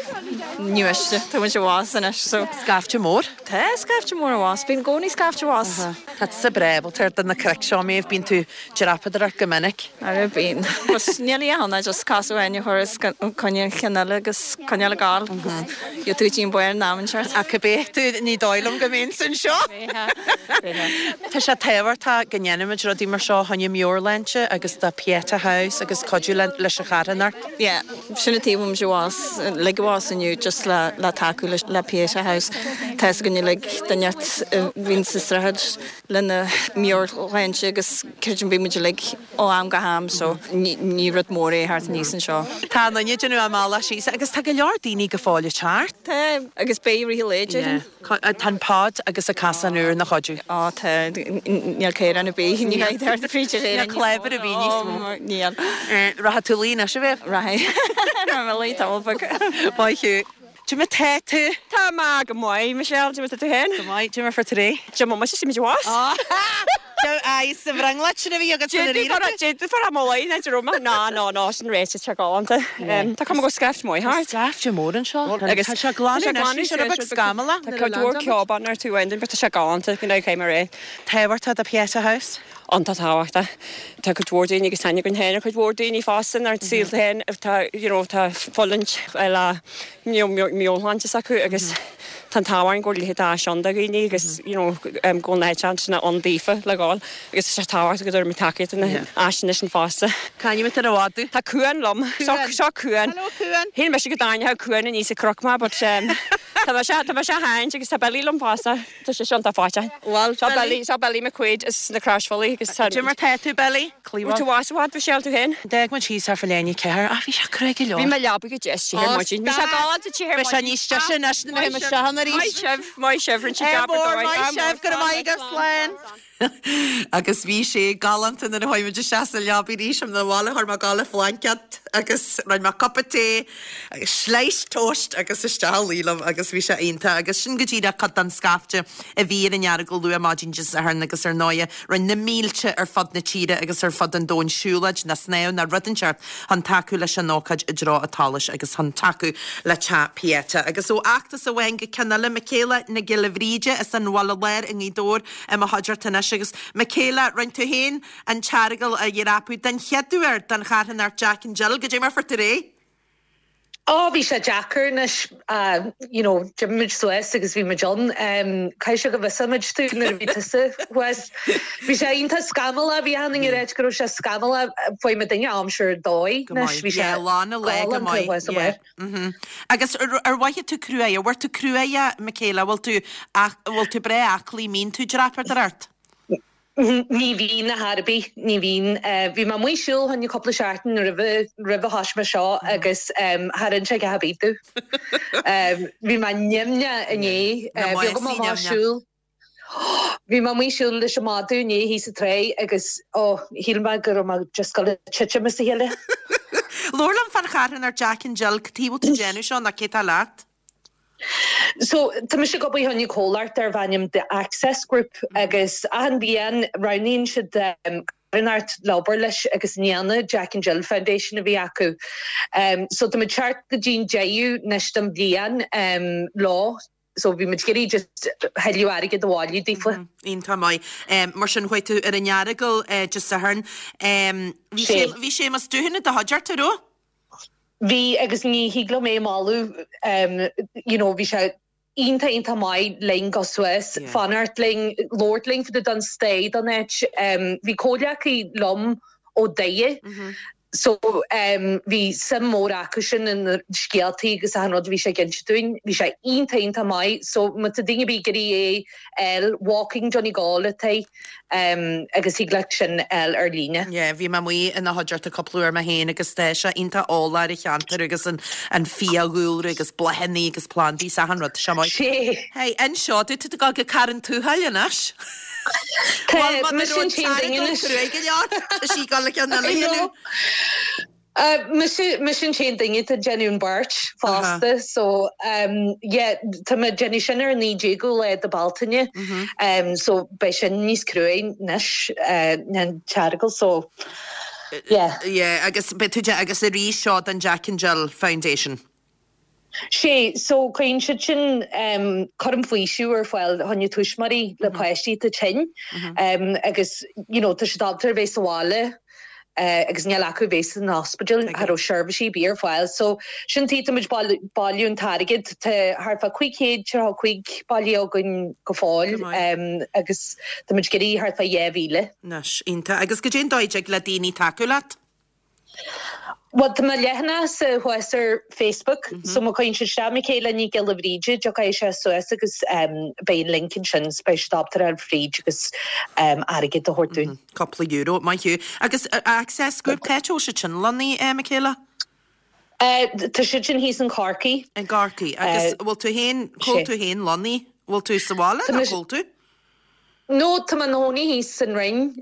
ní miste, tá muid abhus anois so. Scaifte mór? Tá scaifte mór abhus, bíonn i gcónaí scaifte abhus. Tá tusa breá ábalta ar do na cnoic seo, Méabh, bíonn tú ag dreapadóireacht go minic. Ara bíonn. But níl a dhath ann ach just cos amháin a chur os coinne an chinn eile agus coinneáil ag gabháil agus gheobhaidh tú dtí an barr in am inteacht. Ach cibé tú, ní dóigh liom go mbeinnse anseo. Bheifeá. Bheifeá. Tá sé tábhachtach go ndéanaimid rudaí mar seo. choinne meabhairshláinte agus do Pieta House agus cuidiú leis an charthanacht. Yeah, sin an taobh a bhfuil muid abhus, uilig abhus inniu just le le tacú le le Pieta House. Tá fhios againn uilig duine a bhíonn ag streachailt lena meabhairshláinte agus creidim bíonn muid uilig ó am go ham so ní rud mór é theacht aníos anseo. Tá an duine ag déanamh a mbealach síos agus tá go leor daoine go fóill ag teacht. Tá, agus beidh i rith an lae, déarfainn. Tá an pod agus an casán úr ina chuidiú. Á tá, níl caorán ar bith, ní bheidh thart fríd ar Níl clábar ar bith níos mó. Níl. Rachaidh tú a luí anois, a Mhéabh? Rachaidh. Rachaidh mé a luí tamall beag. Maith thú. Cad é mar tá tú? Tá mé go maith, Michelle, cad é mar tá tú féin? Go maith, cad é mar fuair tú réidh? Cad é mar mise, muid abhus. Aye, sa bhrionglóid sin a bhí agat san arís. D'fhéadfá a rá mo luí, ná raibh mé, ná, ná, ná, sin ráite, tá sé galánta. Tá cuma go bhfuil scaifte maith thart. Tá scaifte mór anseo. Agus tá sé glanadh anois, bhí sé rud beag scamallach. Tá cuid mhór ceobán ar tú ending, but tá sé galánta, go ndéana mé réidh. Tábhachtach do Pieta House? Iontach tábhachtach. Tá cuid mhór daoine agus tá aithne againn féin ar chuid mhór daoine fosta inár saolta féin atá, you know, atá ag fulaingt le meabhairshláinte s'acu agus tá an t-ádh orainn go bhfuil a leithéid d'áis ann do dhaoine agus you know go bhfuil an áit ansin ann daofa le dhul agus tá sé tábhachtach go dtabharfaimid tacaíocht do na áiseanna sin fosta. C'ainm atá ar an mhadadh? Tá Cuan liom. Seo Cuan. Hello Cuan. Shíl mise go dtarraingeodh Cuan aníos an cnoc mé but tá mise tá mise á tharraingt agus tá Billy liom fosta. Tá sé seo iontach faighte. Bhuel, Seo Billy, seo Billy McQuaid as na Croisbhealaí agus tá. Cad é mar tá tú, Billy? Cliabhán. Tú as i bhfad, Michelle, tú féin? D'fhág muid thíos ar fá léine ceathair. Ach bhí sé crua go leor. Bhí mé leabaidh go deas te ar maidin. Bhí sé galánta te ar maidin. Beidh sé níos deise anois nuair a théim isteach ann arís. Maith sibh, maith sibh, rinne sibh jab ar dóigh. Maith sibh, go raibh maith agaibh, slán. Agus bhí sé galánta nuair a chuaigh muid isteach sa leabaidh arís ina bhaile, chuir mé ag gabháil blanket agus rinne mé cupa tae agus slice toast agus isteach a luí liom agus bhí sé iontach agus sin go díreach cuid den scaifte a bhí ar an Earagail luath maidin Dé Sathairn agus ar ndóighe rinne na mílte ar fud na tíre agus ar fud an domhain siúlóid ná snámh ná rud inteacht chun tacú leis an ócáid i dtreo an tsolais agus chun tacú le Teach Pieta. Agus ó fheachtas amháin go ceann eile, Michaela Nic Giolla Bhríde as an Bhaile Láir i nGaoth Dobhair i mo chuideachta anois agus Michaela, rinne tú féin an tEaragail a dhreapadh den chéad uair don charthanacht Jack and Jill, goidé mar fuair tú réidh? Ó, bhí sé deacair anois, you know, d'imigh muid suas agus bhí muid ann. Caithfidh sé go bhfiosóidh muid tú nuair a bhí tusa thuas. Bhí sé iontach scamallach, bhí achan duine ag ráit go raibh sé scamallach, fuair muid duine aimsir ar dóigh anois, bhí sé galánta thuas amuigh. Mhm. Agus ar mhothaigh tú cruaidh, an bhfuair tú cruaidh, Michaela, bhfuil tú, bhfuil tú breá aclaí, mbíonn tú ag dreapadóireacht? Ní bhíonn ar chor ar bith, ní bhíonn. Bhí mé amuigh ag siúl fá choinne cúpla seachtain roimhe, roimhe thoisigh mé seo agus char inis sé a dhath ar bith domh. Bhí mé nimhneach inné, bhí agam amach ag siúl. Bhí mé amuigh ag siúl leis an madadh inné thíos sa tráigh agus ó, shíl mé go raibh mé just ag gabháil a titim as a chéile. Labhair liom fán charthanacht Jack and Jill, cad chuige bhfuil tú ag déanamh seo nó cé tá leat? So, tá mise ag obair fá choinne comhlacht darb ainm The Access Group agus achan bhliain roghnaíonn siad carthanacht le obair leis agus i mbliana Jack and Jill Foundation a bhí acu. So tá muid ag teacht go dtí'n deireadh anois den bhliain leo so bhí muid ag iarraidh just thuilleadh airgead a bhailiú daofa. Iontach maith. Mar sin chuaigh tú ar an Earagail Dé Sathairn. Bhí Séamus Dúthain i do chuideachta, raibh? Bhí agus ní thig liom é a mholadh you know bhí sé iontach iontach maith linn dul suas, fanacht linn, labhairt linn fá dtaobh den stair den áit. Bhí comhghleacaí liom ó Doire so bhí suim mór acu sin in scéaltaí agus achan rud a bhí sé ag inse dúinn. Bhí sé iontach iontach maith so má tá duine ar bith ag iarraidh é a fháil, Walking Donegal atá agus thig leat sin a fháil ar líne. Yeah, bhí mé amuigh ina chuideachta cúpla uair mé féin agus tá sé iontach eolach ar an cheantar agus an an fiadhúlra agus bláthanna agus plandaí is achan rud. Tá sé maith. Sé. Hey, inis domh, tá tú ag dul go Carn Tuathail anois. Tá, Bhuel, má mise an t-aon duine anois. Cruaidh go leor, tá sí ag dul le ceann eile a dhéanamh. Mise, mise an t-aon duine atá ag déanamh an beart fosta so yeah tá mé ag déanamh sin ar an 19ú lá de Bealtaine so beidh sin níos cruaidh anois ná an tEaragail so yeah. Yeah agus beidh tú de agus arís seo don Jack and Jill Foundation. Sé, so cuireann siad sin cúram faoisimh ar fáil fá choinne tuismitheoirí le páistí atá tinn agus you know tá siad ábalta a bheith sa bhaile. Agus níl acu bheith san ospidéal, cha raibh seirbhísí ar bith ar fáil. So sin tuige tá muid bailiú an t-airgead. Tá thart fá 535 bailithe againn go fóill agus tá muid ag iarraidh thart fá 2,000. Anois, iontach. Agus goidé an dóigh a dtig le daoine tacú leat? Bhuel, tá mo leathanachsa thuas ar Facebook, so má chuireann siad isteach Michaela Nic Giolla Bhríde, tiocfaidh sé suas agus beidh an link ansin, so beidh siad ábalta a ghabháil fríd agus airgead a thabhairt dúinn. Cúpla euro, maith thú. Agus Access Group, cá háit a bhfuil siad sin lonnaithe, Michaela? Tá siad sin thíos in Corcaigh. I gCorcaigh. Agus bhfuil tú féin, cá bhfuil tú féin lonnaithe? Bhfuil tú sa bhaile nó cá bhfuil tú? No, tá mé i mo chónaí thíos san Rinn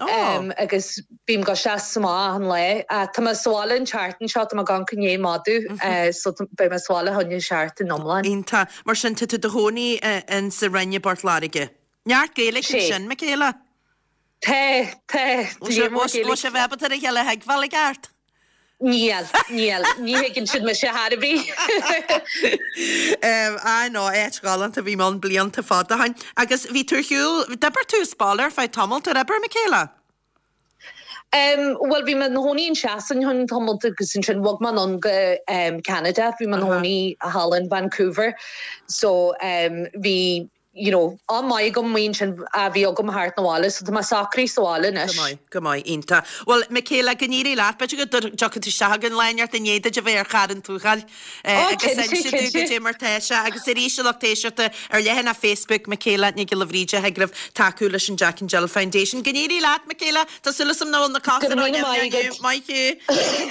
agus bím ag gabháil isteach is amach achan lá. Tá mé sa bhaile an tseachtain seo, tá mé ag amharc i ndiaidh madadh so beidh mé sa bhaile fá choinne seachtain iomlán. Iontach. Mar sin, tá tú i do chónaí in sa Rinn i bPort Láirge. Neart Gaeilge ansin, Michaela? Tá, tá. Bhfuil sibh ábalta a chéile a thuigbheáil i gceart? Níl, níl. Ní thuigeann siad mise chor ar bith. Ah no, áit ghalánta, bhí mé ann blianta fada ó shin. Agus bhí tú ar shiúl, d'oibir tú as baile ar feadh tamaill, ar oibir, Michaela? Bhuel, bhí mé i mo chónaí in Sasain chun tamaill agus ansin bhog mé anonn go Ceanada. Bhí mé i mo chónaí thall in Vancouver. So bhí you know, am maith agam amuigh ansin a bhí agam thart na bhaile, so tá mé socraithe sa bhaile anois. Go maith, go maith, iontach. Bhuel, Michaela, go n-éirí leat, b'fhéidir go dtiocfaidh tú isteach chugainn lá inteacht i ndiaidh duit a bheith ar Charn Tóchair agus cinnte, inse dúinn cinnte. goidé mar tá sé. Agus arís, a lucht éisteachta, ar leathanach Facebook Michaela Nic Giolla Bhríde, thig libh tacú leis an Jack and Jill Foundation. Go n-éirí leat, Michaela! Tá súil agam nach bhfuil na cosa Go raibh míle maith agat. Maith thú.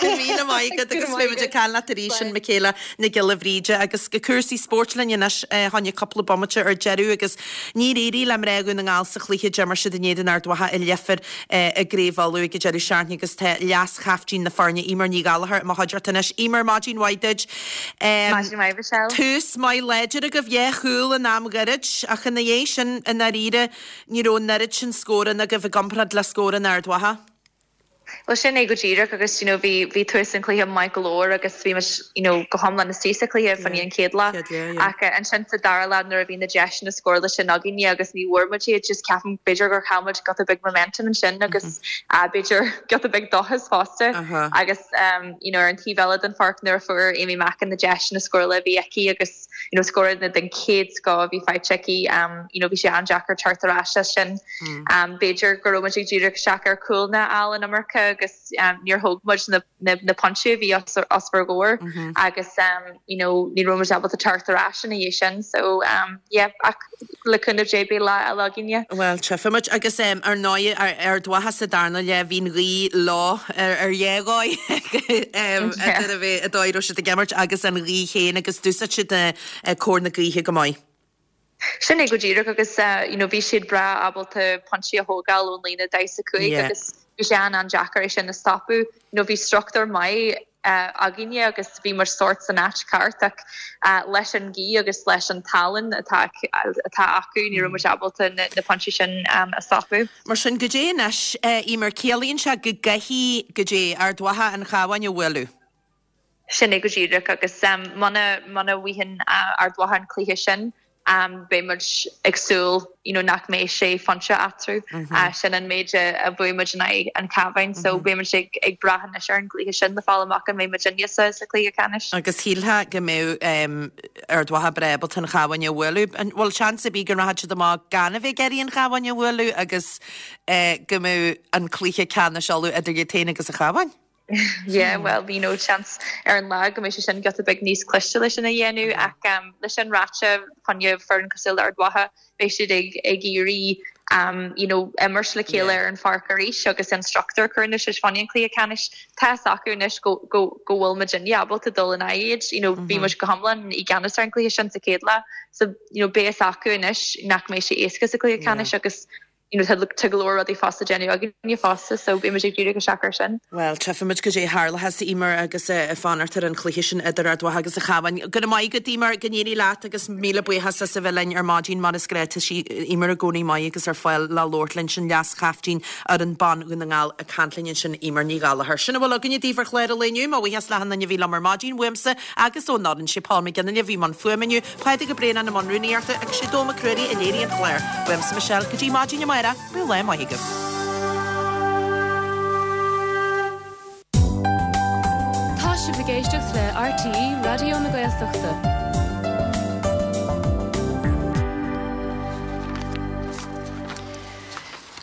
Go raibh míle maith agat agus beidh muid ag caint leat arís sin Michaela Nic Giolla Bhríde agus go cúrsaí spóirt linn anois fá choinne cúpla bomaite ar deireadh agus níor éirigh le mná Dhún na nGall sa chluiche d'imir siad in éadan Ard Mhacha i Leifear i gCraobh Uladh ag an deireadh seachtaine agus tá leas-chaiftín na foirne Eimear Ní Ghallchóir i mo chuideachta anois. Eimear, maidin mhaith duit. Maidin mhaith Michelle. Tús maith láidir agaibh, dhá chúl in am ghairid ach ina dhiaidh sin i ndáiríre Ní raibh an oiread sin scóranna agaibh i gcomparáid le scóranna Ard Mhacha. Bhuel sin é go díreach agus you know bhí bhí tús an chluiche maith go leor agus bhí muid you know go hiomlán istigh sa chluiche fá choinne an chéad leath ach ansin sa dara leath nuair a bhí na deiseanna scórála sin againne agus ní bhfuair muid iad just ceapaim b'fhéidir gur chaill muid giota beag momentum ansin agus b'fhéidir giota beag dóchas fosta agus you know ar an taobh eile den pháirc nuair a fuair Amy Mackin na deiseanna scórála a bhí aici agus you know scóranna den chéad scoth a bhí faighte aici you know bhí sé an-deacair teacht ar ais as sin. B'fhéidir go raibh muid ag díriú isteach ar chúlanna a fháil an iomarca agus níor thóg muid na na na pointí a bhí os os ár gcomhair agus you know ní raibh muid ábalta teacht ar ais ina dhiaidh sin so yeah ach le cúnamh Dé beidh lá eile againne. Bhuel, tchífidh muid. Agus ar ndóigh, Ard Mhacha sa darna leath, bhí an ghaoth leo ar dhá dhóigh idir a bheith an dóigh a raibh siad ag imirt agus an ghaoth féin agus d'úsáid siad cóir na gaoithe go maith. Sin é go díreach agus you know bhí siad breá ábalta pointí a thógáil ón líne 45 agus bhí sé an-an-deacair é sin a stopadh. You know bhí struchtúr maith againne agus bhí muid sórt san áit ceart ach leis an ghaoth agus leis an tallann atá atá acu ní raibh muid ábalta na pointí sin a stopadh. Mar sin, goidé anois, Eimear, ciallaíonn sé go gcaithfidh, goidé, Ard Mhacha an Chabhán a bhualadh? Sin é go díreach agus muna muna bhfaigheann Ard Mhacha an cluiche sin beidh muid ag súil you know nach mbeidh sé phointe eatarthu. Sin an méid a bhuaigh muid in aghaidh an Chabháin so beidh muid ag ag brath anois ar an gcluiche sin le fáil amach an mbeidh muidinne sa sa chluiche ceannais. Agus shílfeá go mbeadh Ard Mhacha breá ábalta an Chabhán a bhualadh. An bhfuil seans ar bith go rachadh siad amach gan a bheith ag iarraidh an Chabhán a bhualadh agus go mbeadh an cluiche ceannais Uladh idir iad féin agus an Chabhán? Yeah, well, you know, seans ar an lá go mbeidh sé sin giota beag níos cliste leis sin a dhéanamh ach um, leis sin ráite fá choinne foireann cosúil le Ard Mhacha, beidh siad ag, ag iarraidh um, you know, imirt le chéile ar an pháirc arís agus an struchtúr a chur anois fá choinne an cluiche ceannais. Tá fhios acu anois go, go, go bhfuil muidinne ábalta dul in aghaidh iad, you know, bhí muid go hiomlán i gceannas ar an gcluiche sin sa chéad leath. So, you know, beidh fhios acu anois nach mbeidh sé éasca sa cluiche ceannais agus you know, tá go leor rudaí fosta déanamh againne fosta so beidh muid ag díriú isteach air sin. Bhuel, tchífimid goidé a tharlóchas, Eimear, agus ag fanacht ar an chluiche sin idir Ard Mhacha agus an Chabhán. Go raibh maith agat, Eimear, go n-éirí leat agus míle buíochas as a bheith linn ar maidin mar is gnách. Tá sí, Eimear i gcónaí maith agus ar fáil le labhairt linn sin leas-chaiftín fhoireann ban Dhún na nGall ag caint linn ansin, Eimear Ní Ghallchóir. Sin a bhfuil againne daoibh ar chlár an lae inniu. Mo bhuíochas le achan duine a bhí liom ar maidin, uaimse agus ón fhoireann. Sé Paul McGinley a bhí i mbun fuaime inniu. Pádraig Ó Braonáin i mbun rúnaíochta agus sé Dó Mac Ruairí a léirigh an clár. Uaimse Michelle, go dtí maidin amárach, bíodh lá maith agaibh. sibh ag éisteacht le RTÉ Raidió na Gaeltachta.